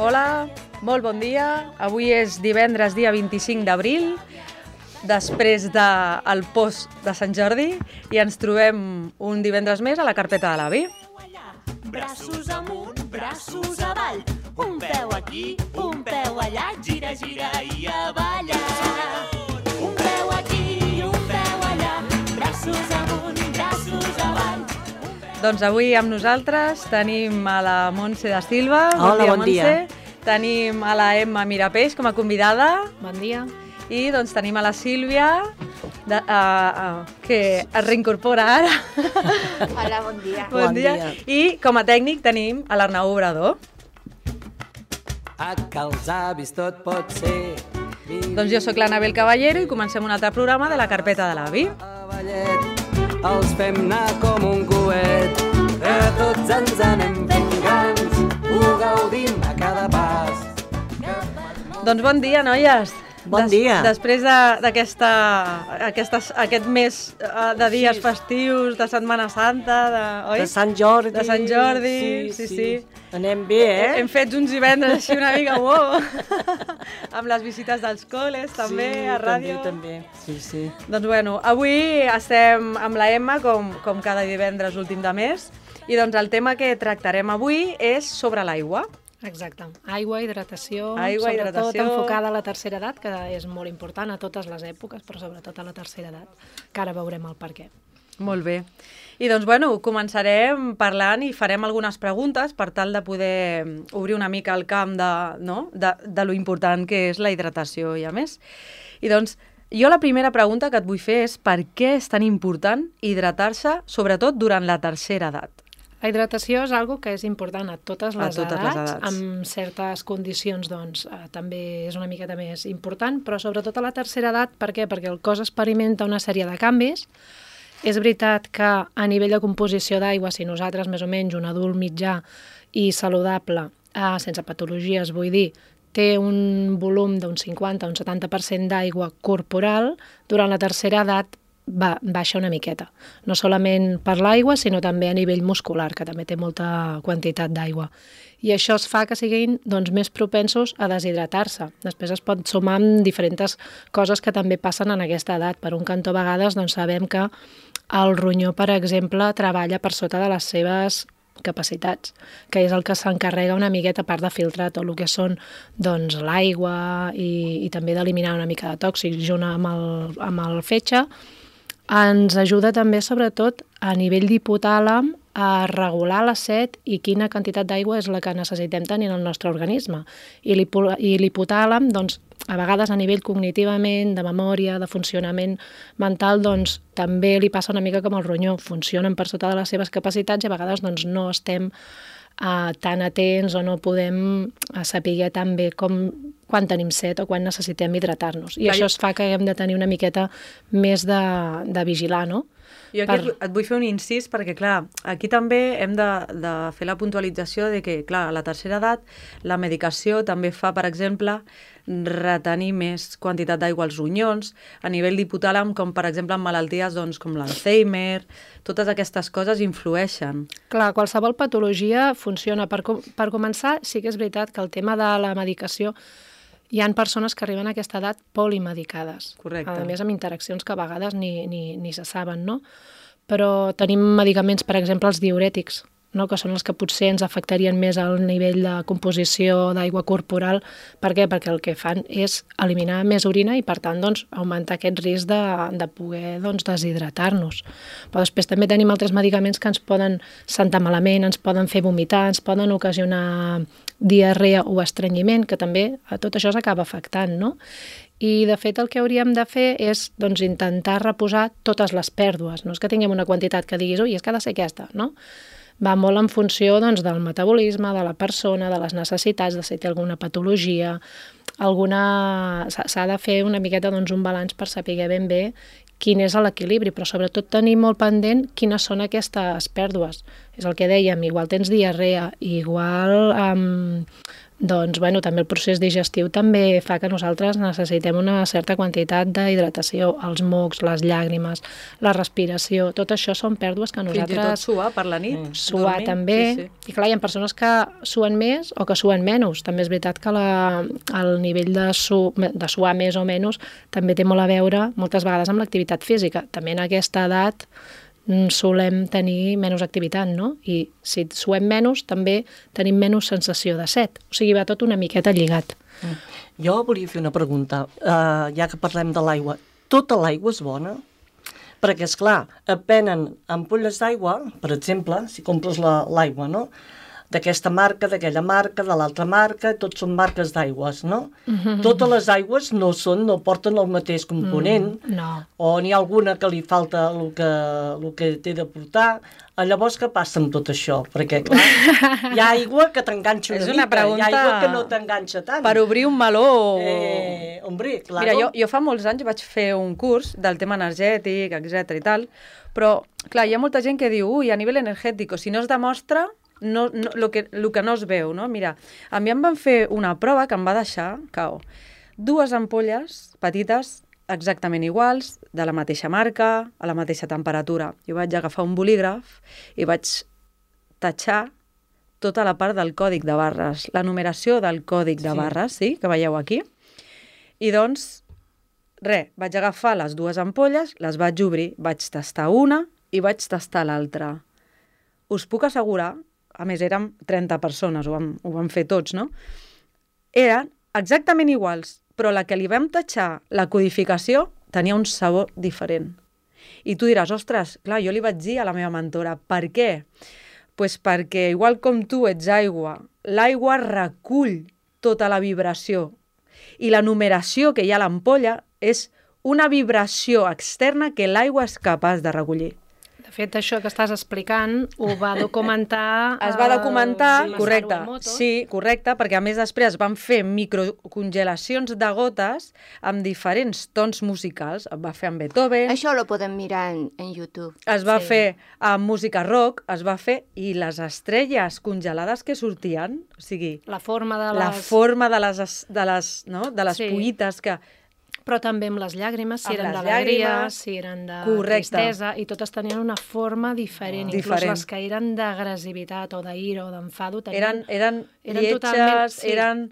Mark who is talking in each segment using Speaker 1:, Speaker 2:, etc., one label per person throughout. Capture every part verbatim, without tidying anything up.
Speaker 1: Hola, molt bon dia. Avui és divendres, dia vint-i-cinc d'abril, després del post de Sant Jordi, i ens trobem un divendres més a la carpeta de l'avi.
Speaker 2: Braços amunt, braços avall, un peu aquí, un peu allà, gira, gira i a ballar. Un peu aquí, un peu allà, braços amunt, braços avall.
Speaker 1: Doncs avui amb nosaltres tenim a la Montse da Silva.
Speaker 3: Hola, bon dia.
Speaker 1: Tenim a la Emma Mirapeix com a convidada.
Speaker 4: Bon dia.
Speaker 1: I doncs tenim a la Sílvia, de, uh, uh, que es reincorpora ara.
Speaker 5: Hola, bon dia.
Speaker 1: Bon, bon dia. dia. I com a tècnic tenim a l'Arnau Obrador.
Speaker 3: A que els avis tot pot ser.
Speaker 1: Doncs jo sóc l'Anabel Caballero i comencem un altre programa de la carpeta de l'avi.
Speaker 3: Els fem anar com un coet, que tots ens anem fent grans, ho gaudim a cada pas.
Speaker 1: Doncs bon dia, noies.
Speaker 3: Bon dia.
Speaker 1: Des, després d'aquesta aquest mes de dies sí. festius, de Setmana Santa, de, oi?
Speaker 3: De Sant Jordi.
Speaker 1: De Sant Jordi, sí, sí. sí. sí.
Speaker 3: Anem bé, eh?
Speaker 1: Hem fet uns divendres així una mica, wow, amb les visites dels col·les, també,
Speaker 3: sí,
Speaker 1: a ràdio.
Speaker 3: Sí, també, també, sí, sí.
Speaker 1: Doncs bueno, avui estem amb la Emma, com, com cada divendres últim de mes, i doncs el tema que tractarem avui és sobre l'aigua.
Speaker 4: Exacte. Aigua, hidratació,
Speaker 1: Aigua,
Speaker 4: sobretot
Speaker 1: hidratació.
Speaker 4: enfocada a la tercera edat, que és molt important a totes les èpoques, però sobretot a la tercera edat, que ara veurem el per què.
Speaker 1: Molt bé. I doncs, bueno, començarem parlant i farem algunes preguntes per tal de poder obrir una mica el camp de, no? de, de lo important que és la hidratació i a més. I doncs, jo la primera pregunta que et vull fer és per què és tan important hidratar-se, sobretot durant la tercera edat?
Speaker 4: La hidratació és algo que és important a totes les,
Speaker 1: a totes
Speaker 4: edats,
Speaker 1: les edats,
Speaker 4: amb certes condicions doncs, eh, també és una miqueta més important, però sobretot a la tercera edat, per què? Perquè el cos experimenta una sèrie de canvis. És veritat que a nivell de composició d'aigua, si nosaltres més o menys un adult mitjà i saludable, eh, sense patologies vull dir, té un volum d'un cinquanta a un setanta per cent d'aigua corporal, durant la tercera edat va, baixa una miqueta. No solament per l'aigua, sinó també a nivell muscular, que també té molta quantitat d'aigua. I això es fa que siguin doncs, més propensos a deshidratar-se. Després es pot sumar amb diferents coses que també passen en aquesta edat. Per un cantó, a vegades doncs, sabem que el ronyó, per exemple, treballa per sota de les seves capacitats, que és el que s'encarrega una miqueta a part de filtrar tot el que són doncs, l'aigua i, i també d'eliminar una mica de tòxics junt amb el, amb el fetge. Ens ajuda també, sobretot, a nivell d'hipotàlem, a regular la set i quina quantitat d'aigua és la que necessitem tenir en el nostre organisme. I l'hipotàlem, doncs, a vegades a nivell cognitivament, de memòria, de funcionament mental, doncs, també li passa una mica com el ronyó. Funcionen per sota de les seves capacitats i a vegades doncs, no estem uh, tan atents o no podem uh, saber tan bé com quan tenim set o quan necessitem hidratar-nos. I Clar, això es fa que hem de tenir una miqueta més de, de vigilar, no?
Speaker 1: Jo aquí per... et vull fer un incís perquè, clar, aquí també hem de, de fer la puntualització de que, clar, a la tercera edat la medicació també fa, per exemple, retenir més quantitat d'aigua als ronyons, a nivell d'hipotàlem, com per exemple en malalties doncs, com l'Alzheimer, totes aquestes coses influeixen.
Speaker 4: Clar, qualsevol patologia funciona. Per, com per començar, sí que és veritat que el tema de la medicació hi ha persones que arriben a aquesta edat polimedicades.
Speaker 1: Correcte.
Speaker 4: A més, amb interaccions que a vegades ni, ni, ni se saben, no? Però tenim medicaments, per exemple, els diürètics, no? Que són els que potser ens afectarien més al nivell de composició d'aigua corporal. Per què? Perquè el que fan és eliminar més orina i, per tant, doncs, augmentar aquest risc de, de poder doncs, deshidratar-nos. Però després també tenim altres medicaments que ens poden sentar malament, ens poden fer vomitar, ens poden ocasionar diarrea o estrenyiment, que també a tot això s'acaba afectant, no? I, de fet, el que hauríem de fer és doncs, intentar reposar totes les pèrdues. No és que tinguem una quantitat que diguis, ui, és que ha de ser aquesta, no? Va molt en funció doncs, del metabolisme, de la persona, de les necessitats, de si té alguna patologia, alguna... s'ha de fer una miqueta doncs, un balanç per saber ben bé quin és l'equilibri, però sobretot tenir molt pendent quines són aquestes pèrdues. És el que dèiem, igual tens diarrea, igual um, doncs, bueno, també el procés digestiu també fa que nosaltres necessitem una certa quantitat d'hidratació, els mocs, les llàgrimes, la respiració, tot això són pèrdues que nosaltres...
Speaker 1: Fins i tot suar per la nit. Mm.
Speaker 4: Suar
Speaker 1: dormir,
Speaker 4: també,
Speaker 1: sí, sí.
Speaker 4: I clar, hi ha persones que suen més o que suen menys. També és veritat que la, el nivell de, su, de suar més o menys també té molt a veure moltes vegades amb l'activitat física. També en aquesta edat solem tenir menys activitat, no? I si suem menys, també tenim menys sensació de set. O sigui, va tot una miqueta lligat.
Speaker 6: Mm. Jo volia fer una pregunta, uh, ja que parlem de l'aigua. Tota l'aigua és bona? Perquè, esclar, et venen ampolles d'aigua, per exemple, si compres l'aigua, no?, d'aquesta marca, d'aquella marca, de l'altra marca, tots són marques d'aigües, no? Mm-hmm. Totes les aigües no són, no porten el mateix component,
Speaker 4: mm, no.
Speaker 6: O n'hi ha alguna que li falta el que, el que té de portar. Llavors, què passa amb tot això? Perquè, clar, hi ha aigua que t'enganxa una,
Speaker 1: una
Speaker 6: mica,
Speaker 1: pregunta...
Speaker 6: hi ha aigua que no t'enganxa tant.
Speaker 1: Per obrir un meló...
Speaker 6: Eh, hombre, claro.
Speaker 1: Mira, jo, jo fa molts anys vaig fer un curs del tema energètic, etcètera i tal, però, clar, hi ha molta gent que diu, ui, a nivell energètic, si no es demostra, no, no, lo, que, lo que no es veu, no? Mira, a mi em van fer una prova que em va deixar, cao, dues ampolles petites, exactament iguals, de la mateixa marca, a la mateixa temperatura. Jo vaig agafar un bolígraf i vaig tatxar tota la part del còdic de barres, la numeració del còdic de
Speaker 6: Sí.
Speaker 1: barres, sí, que veieu aquí. I doncs, res, vaig agafar les dues ampolles, les vaig obrir, vaig tastar una i vaig tastar l'altra. Us puc assegurar, a més érem trenta persones, ho vam, ho vam fer tots, no? Eren exactament iguals, però la que li vam tatxar la codificació tenia un sabor diferent. I tu diràs, ostres, clar, jo li vaig dir a la meva mentora, per què? Pues perquè, igual com tu ets aigua, l'aigua recull tota la vibració i la numeració que hi ha a l'ampolla és una vibració externa que l'aigua és capaç de recollir.
Speaker 4: De fet, això que estás explicant ho va documentar...
Speaker 1: Es va documentar,
Speaker 4: el
Speaker 1: correcte,
Speaker 4: Masaru Emoto.
Speaker 1: sí, correcte, perquè a més després van fer microcongelacions de gotes amb diferents tons musicals. Es va fer amb Beethoven,
Speaker 5: Això lo podem mirar en, en YouTube.
Speaker 1: es va
Speaker 4: Sí.
Speaker 1: fer amb música rock, es va fer... I les estrelles congelades que sortien, o sigui,
Speaker 4: La forma de les...
Speaker 1: la forma de les, es- de les, no? de les
Speaker 4: Sí.
Speaker 1: pollites que...
Speaker 4: Però també amb les llàgrimes, si
Speaker 1: Amb
Speaker 4: eren
Speaker 1: les
Speaker 4: d'alegria,
Speaker 1: llàgrimes.
Speaker 4: si eren de
Speaker 1: Correcte.
Speaker 4: tristesa, i totes tenien una forma diferent. Inclús
Speaker 1: Diferent.
Speaker 4: les que eren d'agressivitat o d'ira o d'enfado tenien...
Speaker 1: Eren, eren,
Speaker 4: Eren
Speaker 1: lletges,
Speaker 4: totalment- sí.
Speaker 1: eren...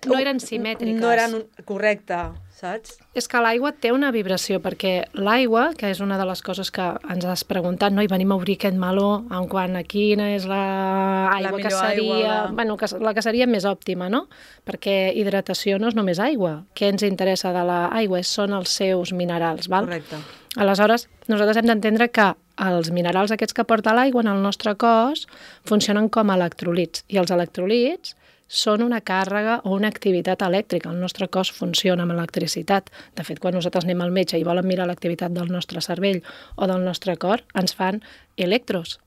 Speaker 4: No eren simètriques.
Speaker 1: No eren... un- Correcte, saps?
Speaker 4: És que l'aigua té una vibració, perquè l'aigua, que és una de les coses que ens has preguntat, no? I venim a obrir aquest meló en quant a quina és l'aigua
Speaker 1: La
Speaker 4: que
Speaker 1: millor
Speaker 4: seria...
Speaker 1: aigua, la-
Speaker 4: Bueno, que, la que seria més òptima, no? Perquè hidratació no és només aigua. Què ens interessa de l'aigua? Són els seus minerals, val?
Speaker 1: Correcte.
Speaker 4: Aleshores, nosaltres hem d'entendre que els minerals aquests que porta l'aigua en el nostre cos funcionen com a electrolits, i els electrolits són una càrrega o una activitat elèctrica. El nostre cos funciona amb electricitat. De fet, quan nosaltres anem al metge i volen mirar l'activitat del nostre cervell o del nostre cor, ens fan electros.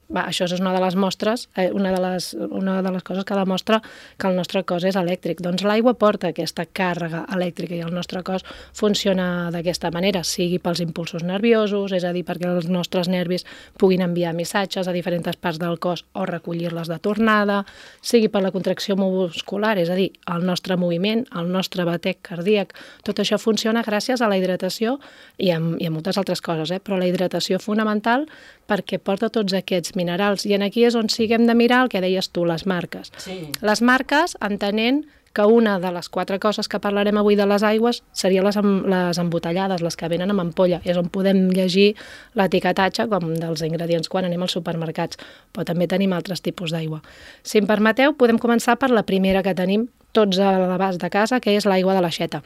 Speaker 4: Va, això és una de les mostres, eh, una, de les, una de les coses que demostra que el nostre cos és elèctric. Doncs l'aigua porta aquesta càrrega elèctrica i el nostre cos funciona d'aquesta manera, sigui pels impulsos nerviosos, és a dir, perquè els nostres nervis puguin enviar missatges a diferents parts del cos o recollir-les de tornada, sigui per la contracció muscular, és a dir, el nostre moviment, el nostre batec cardíac, tot això funciona gràcies a la hidratació i a, i a moltes altres coses, eh? Però la hidratació fonamental perquè porta tots aquests minerals. I en aquí és on sí que hem de mirar el que deies tu, les marques.
Speaker 6: Sí.
Speaker 4: Les marques, entenent que una de les quatre coses que parlarem avui de les aigües seria les, em, les embotellades, les que venen amb ampolla. És on podem llegir l'etiquetatge com dels ingredients quan anem als supermercats. Però també tenim altres tipus d'aigua. Si em permeteu, podem començar per la primera que tenim tots a l'abast de casa, que és l'aigua de l'aixeta.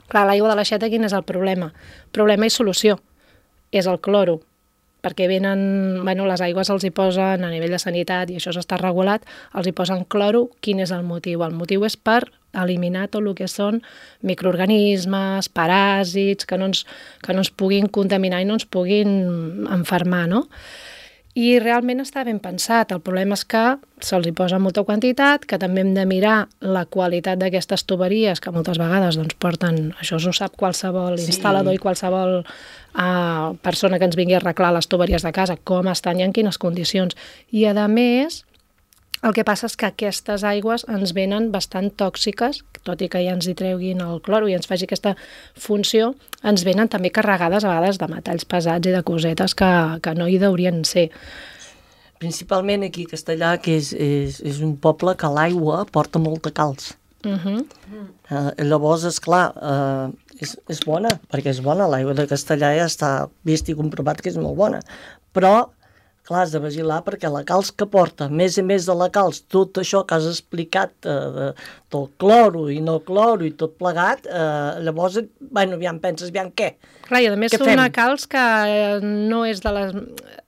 Speaker 4: Clar, l'aigua de l'aixeta, quin és el problema? Problema i solució. És el cloro, perquè venen, bueno, les aigües els hi posen a nivell de sanitat i això s'està regulat, els hi posen cloro. Quin és el motiu? El motiu és per eliminar tot el que són microorganismes, paràsits, que no ens, que no ens puguin contaminar i no ens puguin enfermar, no? I realment està ben pensat. El problema és que se'ls hi posa molta quantitat, que també hem de mirar la qualitat d'aquestes tuberies, que moltes vegades doncs, porten, això ho sap qualsevol
Speaker 6: Sí.
Speaker 4: instal·lador i qualsevol uh, persona que ens vingui a arreglar les tuberies de casa, com estan i en quines condicions. I a més, El que passa és que aquestes aigües ens venen bastant tòxiques, tot i que ja ens hi treguin el cloro i ens faci aquesta funció, ens venen també carregades a vegades de metalls pesats i de cosetes que, que no hi deurien ser.
Speaker 6: Principalment aquí a Castellà, que és, és, és un poble que l'aigua porta molta calç.
Speaker 4: Uh -huh.
Speaker 6: Uh, llavors, esclar, uh, és, és bona, perquè és bona, l'aigua de Castellà ja està vist i comprovat que és molt bona, però clar, has de vigilar perquè la calç que porta, a més a més de la calç, tot això que has explicat eh, de, del cloro i no cloro i tot plegat, eh, llavors, bueno, aviam, penses, aviam, què?
Speaker 4: Clar, i a més
Speaker 6: Què
Speaker 4: és una
Speaker 6: fem?
Speaker 4: calç que no és de les...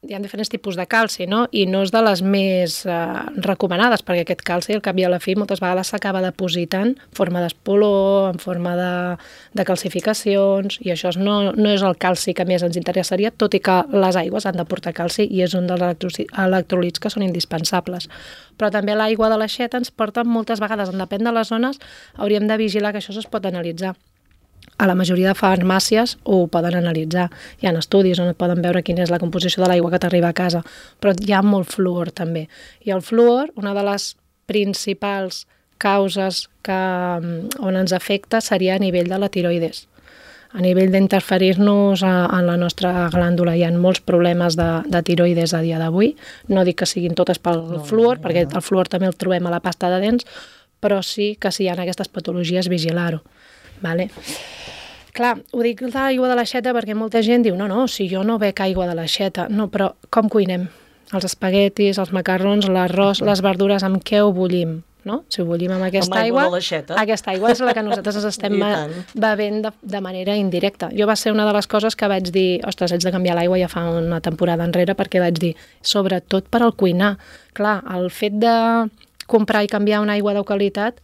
Speaker 4: Hi ha diferents tipus de calci, no? I no és de les més eh, recomanades, perquè aquest calci, al cap i a la fi, moltes vegades s'acaba depositant en forma d'espolor, en forma de, de calcificacions, i això no, no és el calci que més ens interessaria, tot i que les aigües han de portar calci i és un dels electrolits que són indispensables. Però també l'aigua de l'aixeta ens porta moltes vegades, en depèn de les zones, hauríem de vigilar que això es pot analitzar. A la majoria de farmàcies ho poden analitzar. Hi ha estudis on et poden veure quina és la composició de l'aigua que t'arriba a casa, però hi ha molt fluor també. I el fluor, una de les principals causes que, on ens afecta seria a nivell de la tiroides. A nivell d'interferir-nos en la nostra glàndula hi ha molts problemes de, de tiroides a dia d'avui. No dic que siguin totes pel no, fluor, no, no, perquè el fluor també el trobem a la pasta de dents, però sí que si hi ha aquestes patologies, vigilar-ho. Vale? Clar, ho dic de l'aigua de l'aixeta perquè molta gent diu no, no, si jo no bec aigua de l'aixeta. No, però com cuinem? Els espaguetis, els macarrons, l'arròs, les verdures, amb què ho bullim? No? Si ho bullim amb aquesta
Speaker 6: amb aigua,
Speaker 4: aigua, aquesta aigua és la que nosaltres ens estem bevent de, de manera indirecta. Jo va ser una de les coses que vaig dir, ostres, haig de canviar l'aigua ja fa una temporada enrere, perquè vaig dir, sobretot per al cuinar. Clar, el fet de comprar i canviar una aigua de qualitat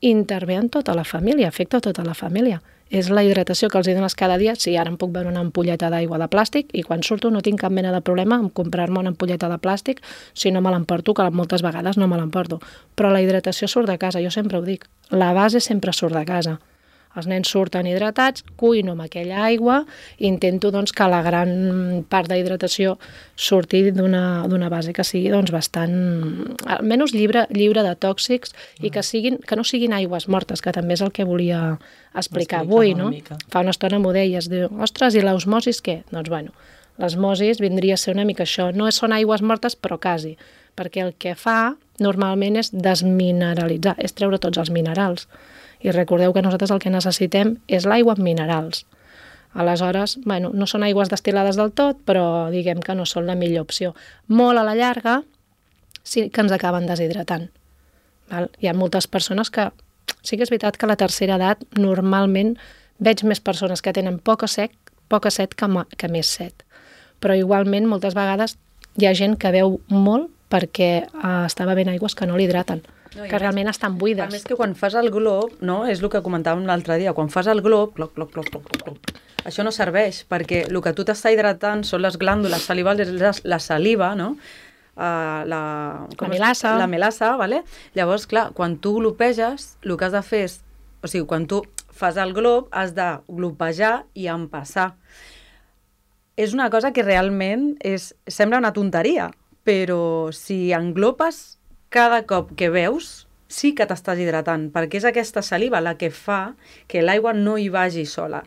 Speaker 4: intervé en tota la família, afecta tota la família. És la hidratació que els dones cada dia. Sí, ara em puc veure una ampolleta d'aigua de plàstic i quan surto no tinc cap mena de problema en comprar-me una ampolleta de plàstic si no me l'emporto, que moltes vegades no me l'emporto. Però la hidratació surt de casa, jo sempre ho dic. La base sempre surt de casa. Els nens surten hidratats, cuino amb aquella aigua i intento doncs, que la gran part d'hidratació surti d'una base que sigui doncs, bastant, almenys lliure, lliure de tòxics i que, siguin, que no siguin aigües mortes, que també és el que volia explicar avui. No? Fa una estona m'ho deies, diu, ostres, i l'osmosis què? Doncs bueno, l'osmosis vindria a ser una mica això. No són aigües mortes, però quasi, perquè el que fa normalment és desmineralitzar, és treure tots els minerals. I recordeu que nosaltres el que necessitem és l'aigua amb minerals. Aleshores, bueno, no són aigües destil·lades del tot, però diguem que no són la millor opció. Molt a la llarga sí que ens acaben deshidratant. Val? Hi ha moltes persones que... Sí que és veritat que a la tercera edat normalment veig més persones que tenen poca set, poca set que, que més set. Però igualment moltes vegades hi ha gent que beu molt perquè eh, està bevent aigües que no l'hidraten. No, que realment estan buides.
Speaker 1: A més que quan fas el glob, no? És el que comentàvem l'altre dia, quan fas el glob, cloc, cloc, cloc, cloc, cloc, això no serveix, perquè el que tu t'està hidratant són les glàndules salivals, és la saliva, no? Uh, la,
Speaker 4: la melassa.
Speaker 1: La melassa, vale? Llavors, clar, quan tu glopeges, el que has de fer és, o sigui, quan tu fas el glob, has de glopejar i empassar. És una cosa que realment és, sembla una tonteria, però si englopes cada cop que veus, sí que t'estàs hidratant, perquè és aquesta saliva la que fa que l'aigua no hi vagi sola.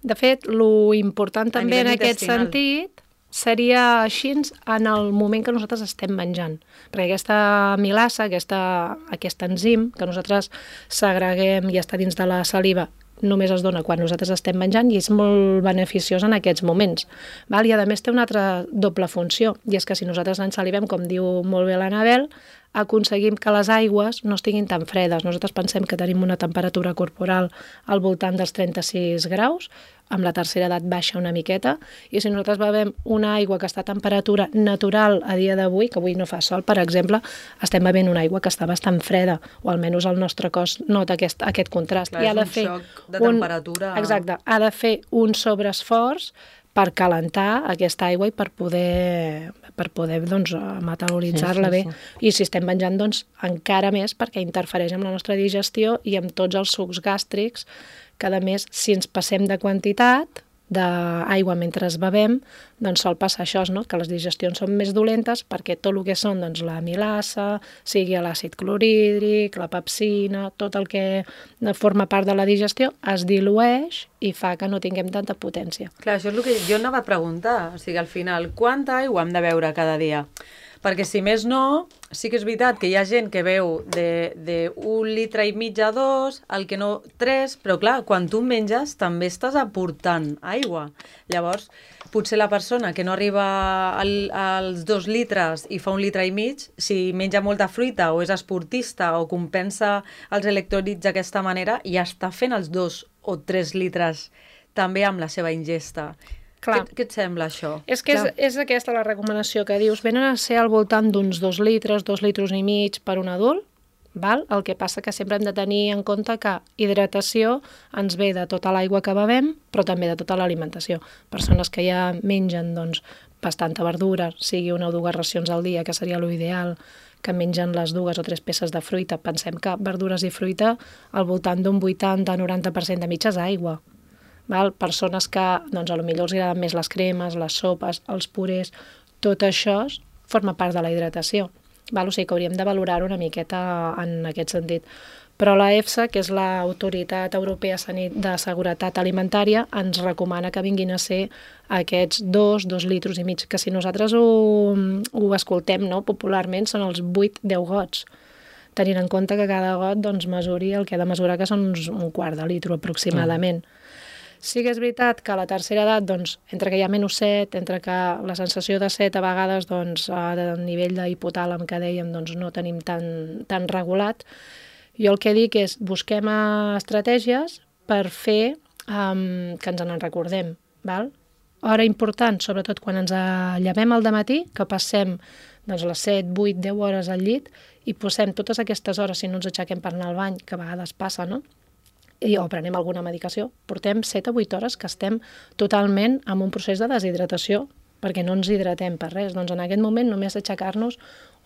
Speaker 4: De fet, lo important també en aquest sentit seria així en el moment que nosaltres estem menjant. Perquè aquesta milassa, aquesta, aquest enzim que nosaltres segreguem i està dins de la saliva, només es dona quan nosaltres estem menjant i és molt beneficiós en aquests moments. Val? I a més té una altra doble funció, i és que si nosaltres ens salivem, com diu molt bé l'Anabel, aconseguim que les aigües no estiguin tan fredes. Nosaltres pensem que tenim una temperatura corporal al voltant dels trenta-sis graus, amb la tercera edat baixa una miqueta, i si nosaltres bevem una aigua que està a temperatura natural a dia d'avui, que avui no fa sol, per exemple, estem bevent una aigua que està bastant freda, o almenys el nostre cos nota aquest, aquest contrast.
Speaker 1: Clar,
Speaker 4: I ha de
Speaker 1: és un
Speaker 4: fer
Speaker 1: xoc de temperatura.
Speaker 4: Un, exacte, ha de fer un sobreesforç per calentar aquesta aigua i per poder, per poder doncs, metabolitzar-la sí, sí, sí. bé. I si estem menjant, doncs, encara més perquè interfereix amb la nostra digestió i amb tots els sucs gàstrics, que a més, si ens passem de quantitat, d'aigua mentre bevem, doncs sol passar això, no? Que les digestions són més dolentes perquè tot el que són doncs, la milasa, sigui l'àcid clorhídric, la pepsina, tot el que forma part de la digestió es dilueix i fa que no tinguem tanta potència.
Speaker 1: Clar, això és el que jo anava a preguntar. O sigui, al final, quanta aigua hem de beure cada dia? Perquè si més no, sí que és veritat que hi ha gent que beu de, de un litre i mig a dos, el que no tres, però clar, quan tu menges també estàs aportant aigua. Llavors, potser la persona que no arriba al, als dos litres i fa un litre i mig, si menja molta fruita o és esportista o compensa els electròlits d'aquesta manera, ja està fent els dos o tres litres també amb la seva ingesta.
Speaker 4: Clar.
Speaker 1: Què, què et sembla, això?
Speaker 4: És que és, és aquesta la recomanació que dius. Venen a ser al voltant d'uns dos litres, dos litres i mig per un adult, val? El que passa que sempre hem de tenir en compte que hidratació ens ve de tota l'aigua que bevem, però també de tota l'alimentació. Persones que ja mengen doncs, bastanta verdura, sigui una o dues racions al dia, que seria l'ideal, que mengen les dues o tres peces de fruita. Pensem que verdures i fruita al voltant d'un vuitanta a noranta per cent de mitja és aigua. Val? Persones que doncs, a lo millor els agraden més les cremes, les sopes, els purés, tot això forma part de la hidratació. Val? O sigui que hauríem de valorar-ho una miqueta en aquest sentit. Però la EFSA, que és l'Autoritat Europea de Seguretat Alimentària, ens recomana que vinguin a ser aquests dos, dos litres i mig, que si nosaltres ho, ho escoltem no? Popularment són els vuit a deu gots, tenint en compte que cada got doncs, mesuri el que ha de mesurar, que són uns, un quart de litre aproximadament. Mm. Sí que és veritat que a la tercera edat, doncs, entre que hi ha menys set, entre que la sensació de set a vegades, doncs, a nivell d'hipotàlam que dèiem, doncs, no tenim tan, tan regulat, jo el que dic és busquem estratègies per fer um, que ens en recordem. Val? Hora important, sobretot quan ens llevem al dematí, que passem doncs, les set, vuit, deu hores al llit i posem totes aquestes hores, si no ens aixequem per anar al bany, que a vegades passa, no? I o prenem alguna medicació, portem set a vuit hores que estem totalment en un procés de deshidratació, perquè no ens hidratem per res. Doncs en aquest moment només aixecar-nos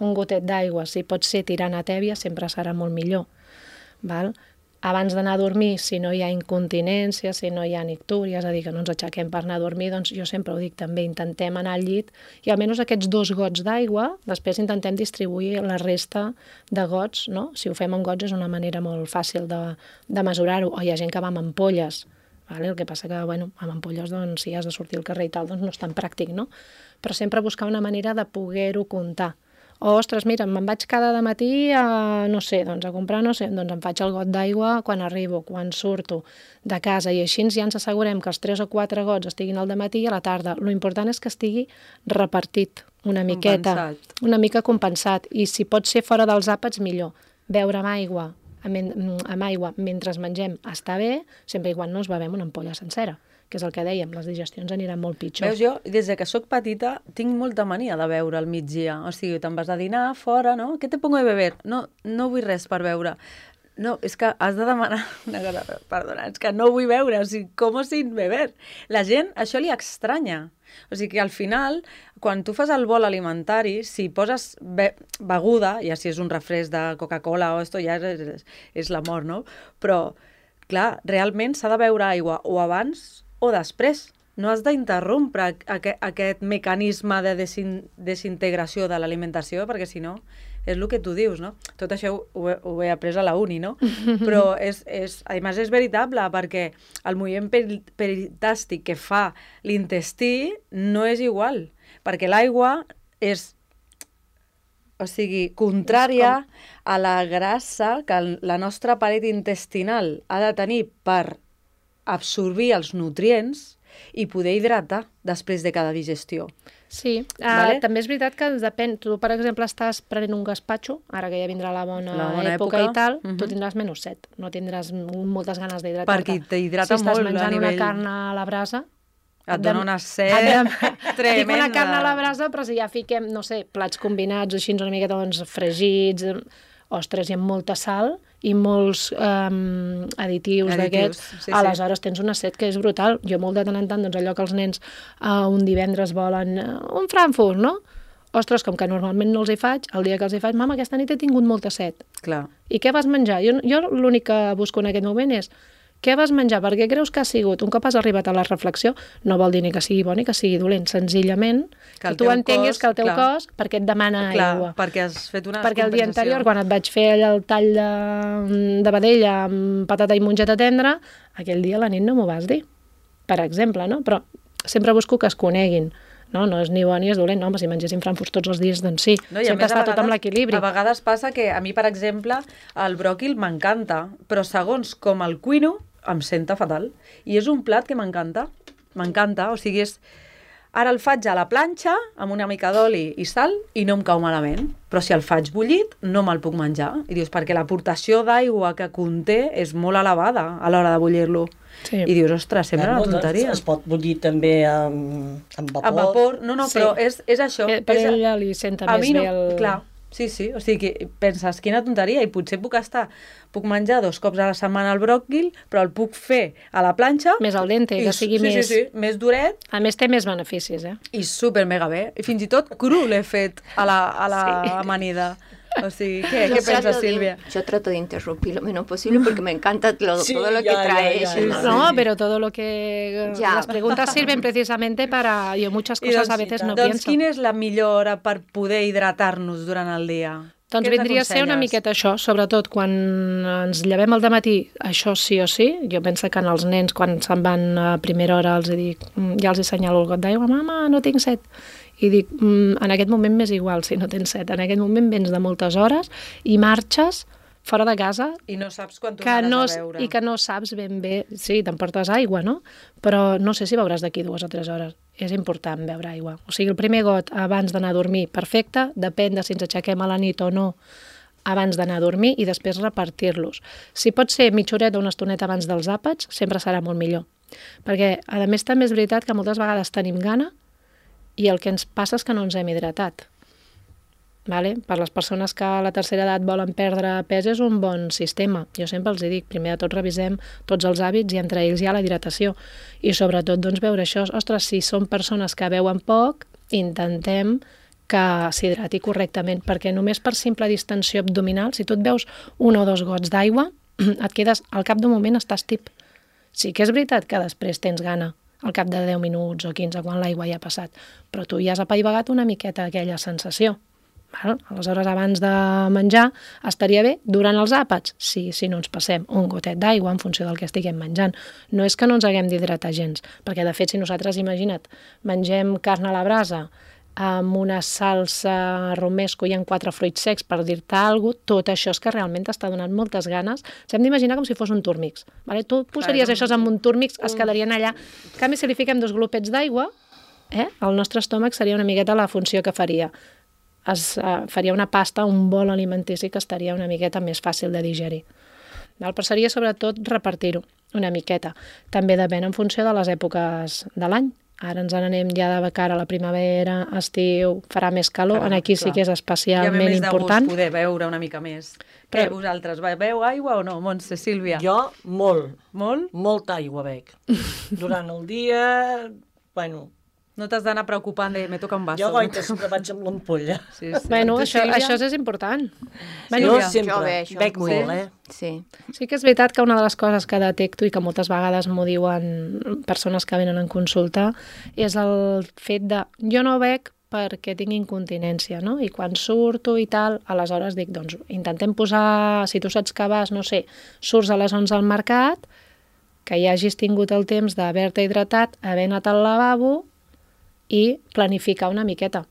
Speaker 4: un gotet d'aigua, si pot ser tirant a tèbia, sempre serà molt millor. Val? Abans d'anar a dormir, si no hi ha incontinència, si no hi ha nictúria, és a dir, que no ens aixequem per anar a dormir, doncs jo sempre ho dic també, intentem anar al llit i almenys aquests dos gots d'aigua, després intentem distribuir la resta de gots, no? Si ho fem amb gots és una manera molt fàcil de, de mesurar-ho, o hi ha gent que va amb ampolles, vale? El que passa que, bueno, amb ampolles, doncs, si has de sortir al carrer i tal, doncs no és tan pràctic, no? Però sempre buscar una manera de poder-ho comptar. O, ostres, mira, me'n vaig cada matí a, no sé, doncs a comprar, no sé, doncs em faig el got d'aigua quan arribo, quan surto de casa, i així ja ens assegurem que els tres o quatre gots estiguin al dematí i a la tarda. Lo important és que estigui repartit una miqueta, compensat. Una mica compensat, i si pot ser fora dels àpats, millor. Beure amb aigua, amb, amb aigua mentre mengem està bé, sempre i quan no es bevem una ampolla sencera, que és el que dèiem, les digestions aniran molt pitjor.
Speaker 1: Veus, jo, des de que sóc petita, tinc molta mania de beure al migdia. O sigui, te'n vas a dinar fora, no? Què te pongo de beber? No, no vull res per beure. No, és que has de demanar una cosa, perdona, és que no vull beure, o sigui, com sin beber? La gent, això li estranya. O sigui que al final, quan tu fas el bol alimentari, si poses be beguda, ja si és un refresc de Coca-Cola o esto, ja és, és, és la mort, no? Però, clar, realment s'ha de beure aigua o abans o després. No has d'interrompre aquest, aquest mecanisme de desin, desintegració de l'alimentació, perquè si no, és el que tu dius, no? Tot això ho, ho, he, ho he après a la uni, no? Però, és, és, a més, és veritable, perquè el moviment peritàstic que fa l'intestí no és igual, perquè l'aigua és, o sigui, contrària a la grassa que la nostra paret intestinal ha de tenir per absorbir els nutrients i poder hidratar després de cada digestió.
Speaker 4: Sí, vale? uh, també és veritat que depèn. Tu, per exemple, estàs prenent un gaspatxo, ara que ja vindrà la bona,
Speaker 1: la bona
Speaker 4: època, època i tal, uh-huh. Tu tindràs menys set, no tindràs moltes ganes d'hidratar-te.
Speaker 1: Perquè t'hidrata
Speaker 4: si
Speaker 1: molt a nivell...
Speaker 4: Si estàs menjant una carn a la brasa...
Speaker 1: Et dona una set tremenda.
Speaker 4: Dic una carn a la brasa, però si ja fiquem, no sé, plats combinats, així una miqueta doncs, fregits... Ostres, hi ha molta sal i molts um, additius d'aquests, sí, aleshores sí. Tens una set que és brutal. Jo molt de tant en tant, doncs allò que els nens uh, un divendres volen uh, un Frankfurt, no? Ostres, com que normalment no els hi faig, el dia que els hi faig, mama, aquesta nit he tingut molta set.
Speaker 1: Clar.
Speaker 4: I què vas menjar? Jo, jo l'únic que busco en aquest moment és què vas menjar, per què creus que ha sigut? Un cop has arribat a la reflexió, no vol dir ni que sigui bo ni que sigui dolent, senzillament que, que tu entenguis cos, que el teu clar, cos, perquè et demana clar, aigua.
Speaker 1: Perquè has fet una
Speaker 4: Perquè el dia anterior, quan et vaig fer allà el tall de, de vedella amb patata i mongeta tendra, aquell dia a la nit no m'ho vas dir, per exemple, no? Però sempre busco que es coneguin. No, no és ni bo ni és dolent, no, home, si mengessin frankfurts tots els dies, doncs sí, no, sempre està tot amb l'equilibri.
Speaker 1: A vegades passa que a mi, per exemple, el bròquil m'encanta, però segons com el cuino, em senta fatal. I és un plat que m'encanta, m'encanta, o sigui, és... Ara el faig a la planxa, amb una mica d'oli i sal, i no em cau malament. Però si el faig bullit, no me'l puc menjar. I dius, perquè l'aportació d'aigua que conté és molt elevada a l'hora de bullir-lo. Sí. I dius, ostres, sembla una tonteria.
Speaker 6: Es pot bullir també amb, amb vapor.
Speaker 1: Amb vapor, no, no, sí. Però és, és això.
Speaker 4: Eh, per
Speaker 1: és,
Speaker 4: ella li senta més
Speaker 1: no,
Speaker 4: bé el...
Speaker 1: Clar, sí, sí, o sigui que penses, quina tonteria, i potser puc estar, puc menjar dos cops a la setmana el bròquil, però el puc fer a la planxa...
Speaker 4: Més al dente, que sigui
Speaker 1: sí,
Speaker 4: més...
Speaker 1: Sí, sí, més duret.
Speaker 4: A més, té més beneficis, eh?
Speaker 1: I super mega bé. I fins i tot cru l'he fet a la, a la sí. amanida. O sigui, ¿qué, ¿qué piensas, Silvia?
Speaker 5: Yo trato de interrumpir lo menos posible porque me encanta lo, sí, todo lo ya, que trae
Speaker 4: ya, ya, ya. No, pero todo lo que... Ya. Las preguntas sirven precisamente para... Yo muchas cosas doncs, a veces no
Speaker 1: doncs,
Speaker 4: pienso.
Speaker 1: Doncs quina és la millor hora per poder hidratar-nos durant el dia?
Speaker 4: Doncs vindria a ser una miqueta això, sobretot quan ens llevem al dematí, això sí o sí. Jo penso que en els nens, quan se'n van a primera hora, els dic, ja els assenyalo el got d'aigua, mama, no tinc set. I dic, en aquest moment m'és igual si no tens set. En aquest moment vens de moltes hores i marxes fora de casa...
Speaker 1: I no saps quan tornaràs
Speaker 4: no,
Speaker 1: a veure.
Speaker 4: I que no saps ben bé... Sí, t'emportes aigua, no? Però no sé si beuràs d'aquí dues o tres hores. És important beure aigua. O sigui, el primer got abans d'anar a dormir, perfecte, depèn de si ens aixequem a la nit o no abans d'anar a dormir i després repartir-los. Si pot ser mitja horeta o una estoneta abans dels àpats, sempre serà molt millor. Perquè, a més, també és veritat que moltes vegades tenim gana i el que ens passa és que no ens hem hidratat. Vale? Per les persones que a la tercera edat volen perdre pes és un bon sistema. Jo sempre els dic, primer de tot revisem tots els hàbits i entre ells hi ha la hidratació. I sobretot doncs, veure això, ostres, si són persones que beuen poc, intentem que s'hidrati correctament, perquè només per simple distensió abdominal, si tu et veus un o dos gots d'aigua, et quedes, al cap d'un moment estàs tip. Sí que és veritat que després tens gana, al cap de deu minuts o quinze, quan l'aigua ja ha passat, però tu ja has apaivagat una miqueta aquella sensació. Val? Aleshores, abans de menjar, estaria bé durant els àpats? Sí, si no ens passem un gotet d'aigua en funció del que estiguem menjant. No és que no ens haguem d'hidratar gens, perquè de fet, si nosaltres, imagina't, mengem carn a la brasa amb una salsa romesco i amb quatre fruits secs, per dir-te alguna cosa, tot això és que realment t'està donant moltes ganes. S'hem d'imaginar com si fos un túrmix. Vale? Tu posaries això en un túrmix, es quedarien allà. En canvi, si li fiquem dos glopets d'aigua, eh, el nostre estómac seria una miqueta la funció que faria. Es uh, faria una pasta, un bol alimentici que estaria una miqueta més fàcil de digerir. Val? Però seria sobretot repartir-ho una miqueta. També depèn en funció de les èpoques de l'any. Ara ens n'anem ja de cara a la primavera, estiu, farà més calor, clar, aquí clar. Sí que és especialment important.
Speaker 1: Ja ve més de gust poder beure una mica més. Però... Què, vosaltres, beveu aigua o no, Montse, Sílvia?
Speaker 6: Jo, molt.
Speaker 1: Molt?
Speaker 6: Molta aigua bec. Durant el dia, bueno...
Speaker 1: No t'has d'anar preocupant de me toca un vaso.
Speaker 6: Jo goita sempre vaig amb l'ampolla.
Speaker 1: Sí, sí.
Speaker 4: Bueno, això, això és important.
Speaker 6: Bueno, jo sempre jo bé, bec molt, eh?
Speaker 5: Sí.
Speaker 4: Sí que és veritat que una de les coses que detecto i que moltes vegades m'ho diuen persones que venen en consulta és el fet de jo no bec perquè tinc incontinència, no? I quan surto i tal, aleshores dic, doncs intentem posar, si tu saps que vas, no sé, surts a les onze al mercat, que ja hagis tingut el temps d'haver-te hidratat, haver anat al lavabo i planificar una miqueta.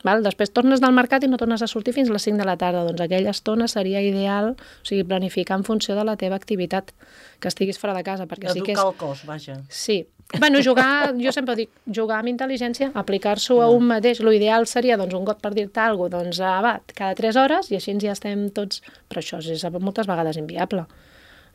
Speaker 4: Val? Després tornes del mercat i no tornes a sortir fins a les cinc de la tarda. Doncs aquella estona seria ideal, o sigui, planificar en funció de la teva activitat, que estiguis fora de casa. Perquè sí que és...
Speaker 6: Educar el cos, vaja.
Speaker 4: Sí. Bueno, jugar, jo sempre dic, jugar amb intel·ligència, aplicar-s'ho a un mateix. L'ideal seria, doncs, un cop per dir-te alguna cosa, doncs, ah, va, cada tres hores, i així ja estem tots... Però això és moltes vegades inviable.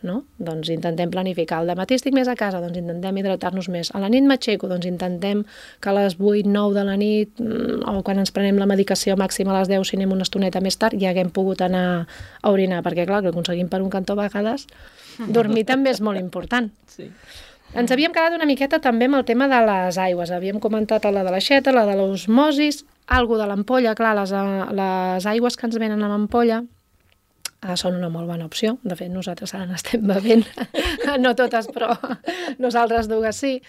Speaker 4: No? Doncs intentem planificar. Al dematí estic més a casa, doncs intentem hidratar-nos més. A la nit m'aixeco, doncs intentem que a les vuit, nou de la nit, o quan ens prenem la medicació màxima a les deu, si anem una estoneta més tard, ja haguem pogut anar a orinar, perquè clar, que aconseguim per un cantó a vegades, dormir també és molt important.
Speaker 6: Sí.
Speaker 4: Ens havíem quedat una miqueta també amb el tema de les aigües. Havíem comentat la de l'aixeta, la de l'osmosis, algo de l'ampolla, clar, les, les aigües que ens venen amb ampolla, uh, són una molt bona opció. De fet, nosaltres ara n'estem bevent, no totes, però nosaltres dues sí.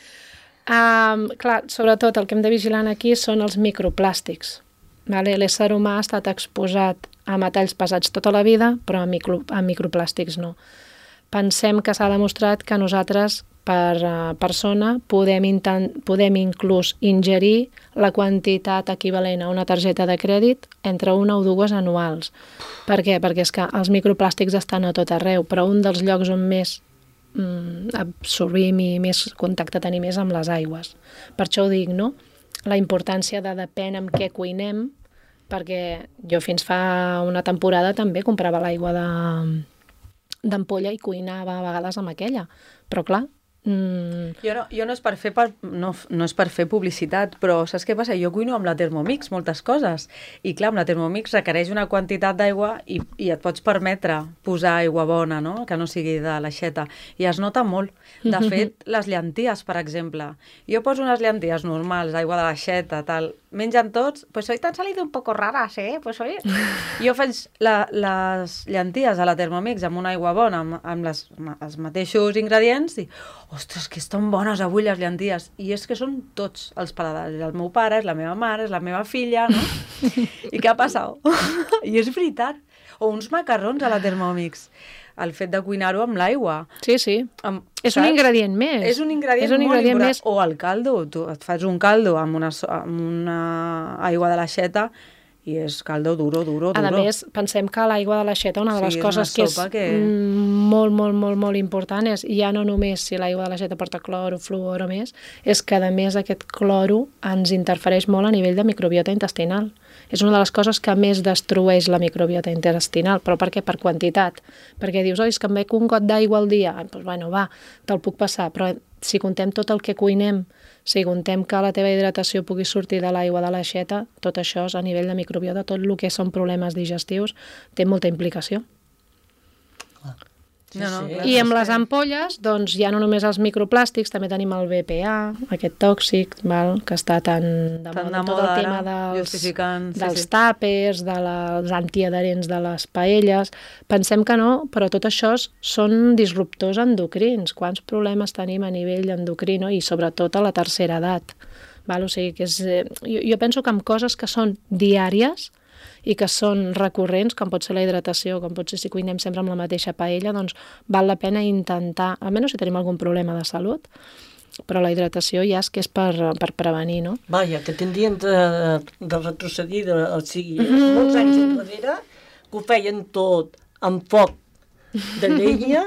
Speaker 4: Um, clar, sobretot el que hem de vigilar aquí són els microplàstics. Vale? L'ésser humà ha estat exposat a metalls pesats tota la vida, però a, micro, a microplàstics no. Pensem que s'ha demostrat que nosaltres, per uh, persona, podem, intent, podem inclús ingerir la quantitat equivalent a una targeta de crèdit entre una o dues anuals. Per què? Perquè és que els microplàstics estan a tot arreu, però un dels llocs on més mm, absorbim i més contacte tenim és amb les aigües. Per això ho dic, no? La importància de depèn amb què cuinem, perquè jo fins fa una temporada també comprava l'aigua de d'ampolla i cuinava a vegades amb aquella, però clar... Mm...
Speaker 1: Jo, no, jo no, és per fer per, no, no és per fer publicitat, però saps què passa? Jo cuino amb la Thermomix moltes coses, i clar, amb la Thermomix requereix una quantitat d'aigua i, i et pots permetre posar aigua bona, no? Que no sigui de l'aixeta, i es nota molt. De fet, les llenties, per exemple, jo poso unes llenties normals, aigua de l'aixeta, tal, mengen tots, pues hoy t'han salido un poco raras, eh? Pues hoy... Jo faig la, les llenties a la Thermomix amb una aigua bona, amb, amb les, els mateixos ingredients, i ostres, que estan bones avui les llenties. I és que són tots els paladars. El meu pare, és la meva mare, és la meva filla, no? I què ha passat? I és veritat. O uns macarrons a la Thermomix. El fet de cuinar-ho amb l'aigua.
Speaker 4: Sí, sí. Amb, és saps? Un ingredient més.
Speaker 1: És un ingredient, és un ingredient molt important. Més. O el caldo. Tu et fas un caldo amb una, amb una aigua de l'aixeta i és caldo duro, duro, duro.
Speaker 4: A més, pensem que l'aigua de l'aixeta, una de les sí, coses que és que... molt, molt, molt, molt important és, ja no només si l'aigua de l'aixeta porta cloro, fluor o més, és que a més aquest cloro ens interfereix molt a nivell de microbiota intestinal. És una de les coses que més destrueix la microbiota intestinal. Però per què? Per quantitat. Perquè dius, oi, és que em bec un got d'aigua al dia. Doncs, bueno, va, te'l puc passar. Però si contem tot el que cuinem, si contem que la teva hidratació pugui sortir de l'aigua de l'aixeta, tot això és a nivell de microbiota, tot el que són problemes digestius, té molta implicació.
Speaker 1: Sí, no, no,
Speaker 4: sí. I amb les ampolles, doncs ja no només els microplàstics, també tenim el B P A, aquest tòxic, val, que està tan de
Speaker 1: tan
Speaker 4: moda,
Speaker 1: de
Speaker 4: tot
Speaker 1: moda
Speaker 4: el tema dels,
Speaker 1: sí,
Speaker 4: dels
Speaker 1: sí.
Speaker 4: tàpers, de les antiadherents de les paelles. Pensem que no, però tot això són disruptors endocrins. Quants problemes tenim a nivell endocrí, no? I sobretot a la tercera edat. Val? O sigui, que és, jo, jo penso que amb coses que són diàries i que són recurrents, com pot ser la hidratació, com pot ser si cuinem sempre amb la mateixa paella, doncs val la pena intentar, almenys si tenim algun problema de salut, però la hidratació ja és que és per, per prevenir, no?
Speaker 6: Vaja, que tindrien de, de retrocedir, de, o sigui, mm. molts anys enrere, que ho feien tot amb foc de llenya,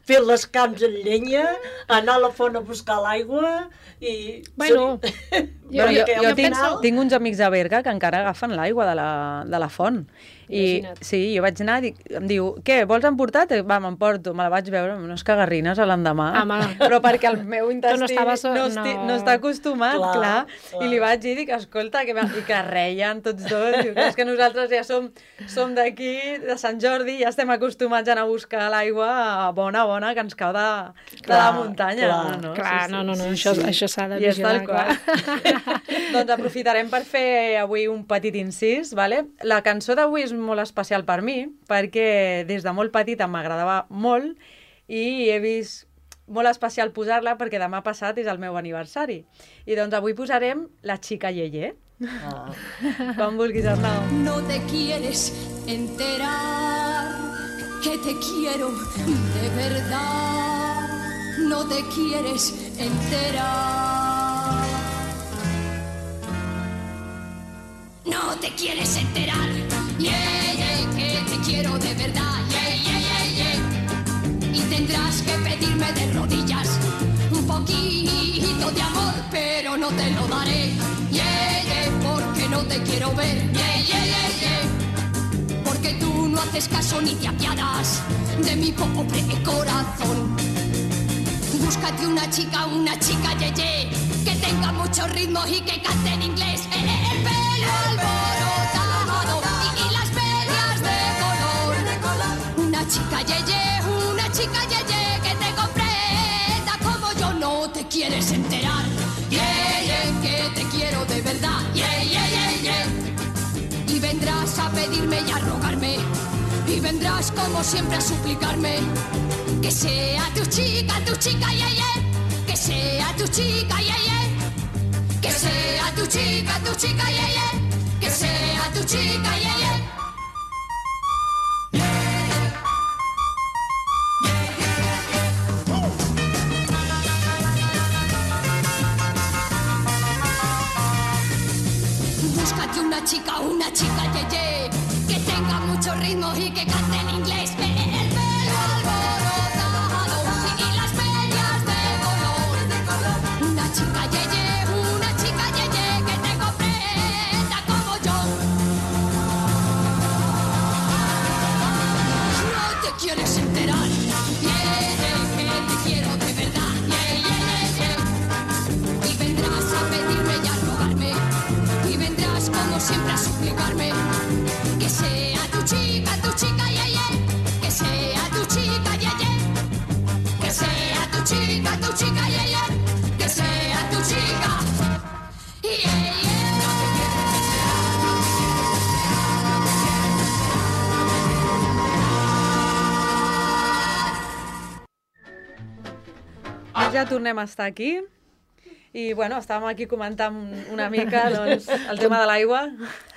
Speaker 6: fer les camps en llenya, anar a la font a buscar l'aigua i...
Speaker 4: Bueno,
Speaker 1: jo, jo, jo, jo tinc, penso... tinc uns amics a Berga que encara agafen l'aigua de, la, de la font. I Imagina't. Sí, jo vaig anar i em diu, què, vols emportar? Va, m'emporto, me la vaig veure, unes cagarrines a l'endemà,
Speaker 4: ah,
Speaker 1: però perquè el meu intestí no, estaves... no, esti...
Speaker 4: no.
Speaker 1: no està acostumat, clar, clar. clar. I li vaig dir, dic, escolta, que, i que reien tots dos, diu, és que nosaltres ja som, som d'aquí, de Sant Jordi, ja estem acostumats a anar a buscar l'aigua bona, bona, que ens cau de, de clar, la muntanya.
Speaker 4: Clar,
Speaker 1: no,
Speaker 4: clar,
Speaker 1: sí, sí,
Speaker 4: no, no, no,
Speaker 1: sí,
Speaker 4: això,
Speaker 1: sí.
Speaker 4: això s'ha de
Speaker 1: I
Speaker 4: vigilar,
Speaker 1: clar. Doncs aprofitarem per fer avui un petit incís, vale? La cançó d'avui és molt especial per mi, perquè des de molt petita m'agradava molt i he vist molt especial posar-la perquè demà passat és el meu aniversari. I doncs avui posarem La Chica Yeye. Ah. Quan vulguis, Arnau.
Speaker 2: No te quieres enterar que te quiero de verdad. No te quieres enterar. No te quieres enterar. Yeah, yeah, que te quiero de verdad. Yeah, yeah, yeah, yeah. Y tendrás que pedirme de rodillas un poquito de amor, pero no te lo daré. Yeah, yeah, porque no te quiero ver. Yeah, yeah, yeah, yeah. Porque tú no haces caso ni te apiadas de mi pobre corazón. Búscate una chica, una chica yeye, que tenga mucho ritmo y que cante en inglés. El, el pelo alborotado y, y las medias de color. Una chica yeye, una chica yeye, que te comprenda como yo. No te quieres enterar. Yeah, yeah, que te quiero de verdad. Yeah, yeah, yeah, yeah. Y vendrás a pedirme y a rogarme
Speaker 7: vendrás como siempre a suplicarme que sea tu chica, tu chica, yeah, yeah. Que sea tu chica, yeah, yeah. Que sea tu chica, tu chica, yeah, yeah. Que sea tu chica, yeah, yeah. Búscate una chica, una chica, yeah, yeah, que tenga mucho ritmo y que cante en inglés. El pelo alborotado y las medias de color. Una chica, yeah, yeah, una chica, yeah, yeah, que te comprenda como yo. No te quieres enterar, yeah, que te quiero de verdad, yeah, yeah, yeah. Y vendrás a pedirme y a rogarme, y vendrás como siempre a suplicarme que sea tu chica, tu chica, yeah, yeah. Que sea tu chica, yeah, yeah. Que sea tu chica, tu chica, yeah, yeah. Que sea tu chica, yeah, yeah.
Speaker 1: Doncs ja tornem a estar aquí. I, bueno, estàvem aquí comentant una mica doncs, el tema de l'aigua.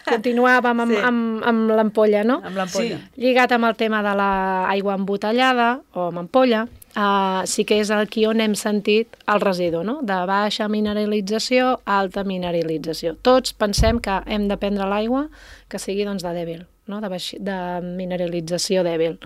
Speaker 4: Continuàvem amb,
Speaker 1: Sí.
Speaker 4: amb, amb l'ampolla, no?
Speaker 1: Amb l'ampolla.
Speaker 6: Sí.
Speaker 4: Lligat amb el tema de l'aigua embotellada o amb ampolla, uh, sí que és aquí on hem sentit el residu, no? De baixa mineralització a alta mineralització. Tots pensem que hem de prendre l'aigua que sigui doncs, de dèbil, no? de, baix, de mineralització dèbil.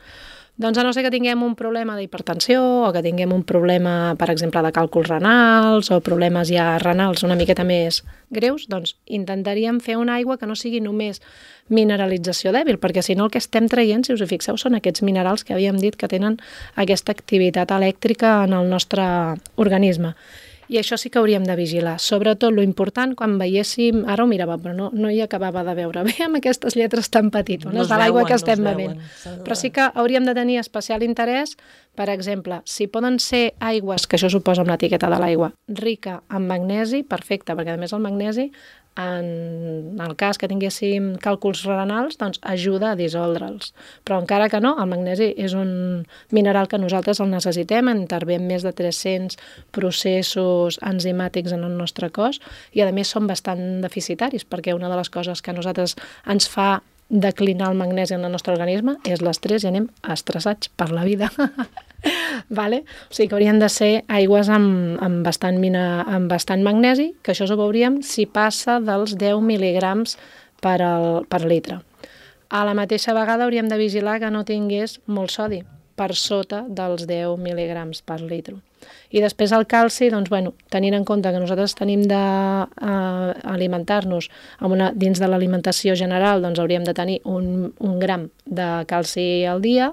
Speaker 4: Doncs a no ser que tinguem un problema d'hipertensió o que tinguem un problema, per exemple, de càlculs renals o problemes ja renals una miqueta més greus, doncs intentaríem fer una aigua que no sigui només mineralització dèbil, perquè si no el que estem traient, si us hi fixeu, són aquests minerals que havíem dit que tenen aquesta activitat elèctrica en el nostre organisme. I això sí que hauríem de vigilar. Sobretot, lo important, quan veiéssim... Ara ho mirava, però no, no hi acabava de veure bé amb aquestes lletres tan petitones
Speaker 6: No es
Speaker 4: de l'aigua
Speaker 6: veuen,
Speaker 4: que
Speaker 6: no es
Speaker 4: estem
Speaker 6: veuen.
Speaker 4: bevent.
Speaker 6: S'ha de-
Speaker 4: Però sí que hauríem de tenir especial interès, per exemple, si poden ser aigües, que això suposa amb l'etiqueta de l'aigua, rica en magnesi, perfecte, perquè a més el magnesi, en el cas que tinguéssim càlculs renals, doncs ajuda a dissoldre'ls. Però encara que no, el magnesi és un mineral que nosaltres el necessitem, intervé en més de tres-cents processos enzimàtics en el nostre cos i a més són bastant deficitaris, perquè una de les coses que a nosaltres ens fa declinar el magnesi en el nostre organisme és l'estrès i anem estressats per la vida. Vale? O sigui que haurien de ser aigües amb, amb, bastant mina, amb bastant magnesi, que això ho veuríem si passa dels deu mil·ligrams per, al, per litre. A la mateixa vegada hauríem de vigilar que no tingués molt sodi, per sota dels deu mil·ligrams per litre. I després el calci, doncs, bueno, tenint en compte que nosaltres tenim d'alimentar-nos uh, dins de l'alimentació general, doncs hauríem de tenir un, un gram de calci al dia,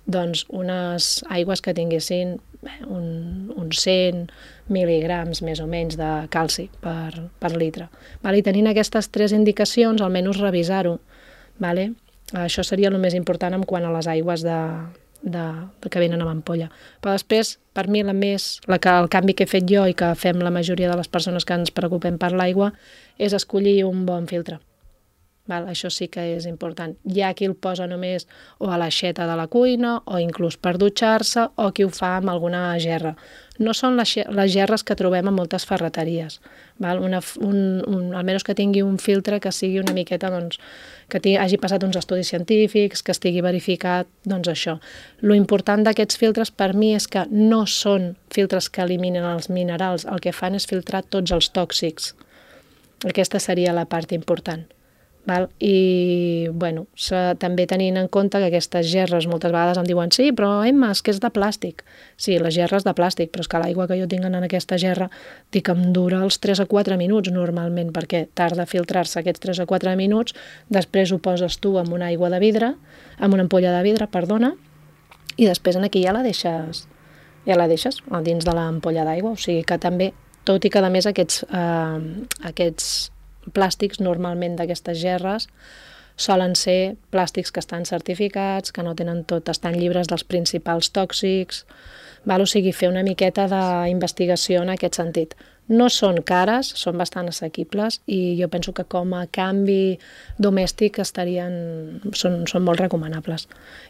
Speaker 4: doncs unes aigües que tinguessin bé, un, uns cent mil·ligrams més o menys de calci per, per litre. Vale? I tenint aquestes tres indicacions, almenys revisar-ho. Vale? Això seria el més important en quant a les aigües de, de, de que venen amb ampolla. Però després, per mi, la més, la que, el canvi que he fet jo i que fem la majoria de les persones que ens preocupem per l'aigua és escollir un bon filtre. Val? Això sí que és important. Hi ha qui el posa només o a l'aixeta de la cuina o inclús per dutxar-se o qui ho fa amb alguna gerra. No són les, les gerres que trobem a moltes ferreteries. Val? Una, un, un, almenys que tingui un filtre que sigui una miqueta, doncs, que tingui, hagi passat uns estudis científics, que estigui verificat, doncs això. Lo important d'aquests filtres per mi és que no són filtres que eliminen els minerals, el que fan és filtrar tots els tòxics. Aquesta seria la part important. Val? I, bueno, també tenint en compte que aquestes gerres moltes vegades em diuen sí, però Emma, és que és de plàstic. Sí, la gerra és de plàstic, però és que l'aigua que jo tinc en aquesta gerra dic que em dura els tres a quatre minuts normalment, perquè tarda a filtrar-se aquests tres a quatre minuts, després ho poses tu amb una aigua de vidre, amb una ampolla de vidre, perdona, i després aquí ja la deixes, ja la deixes dins de l'ampolla d'aigua, o sigui que també, tot i que a més aquests, eh, aquests plàstics normalment d'aquestes gerres solen ser plàstics que estan certificats, que no tenen tot, estan lliures dels principals tòxics, val? O sigui, fer una miqueta d'investigació en aquest sentit. No són cares, són bastant assequibles i jo penso que com a canvi domèstic estarien, són, són molt recomanables.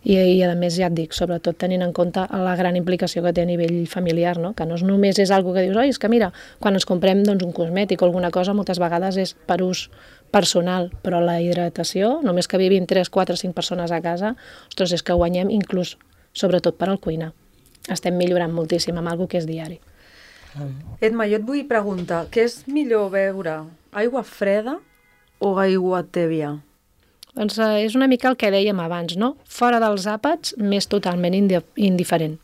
Speaker 4: I, I a més ja et dic, sobretot tenint en compte la gran implicació que té a nivell familiar, no? Que no és només és algo que dius, oi, és que mira, quan ens comprem doncs, un cosmètic o alguna cosa, moltes vegades és per ús personal, però la hidratació, només que vivim tres, quatre, cinc persones a casa, ostres, és que guanyem inclús, sobretot per al cuinar. Estem millorant moltíssim amb algo que és diari.
Speaker 1: Edma, jo et vull preguntar, què és millor beure? Aigua freda o aigua tèbia?
Speaker 4: Doncs eh, és una mica el que dèiem abans, no? Fora dels àpats, m'és totalment indi indiferent.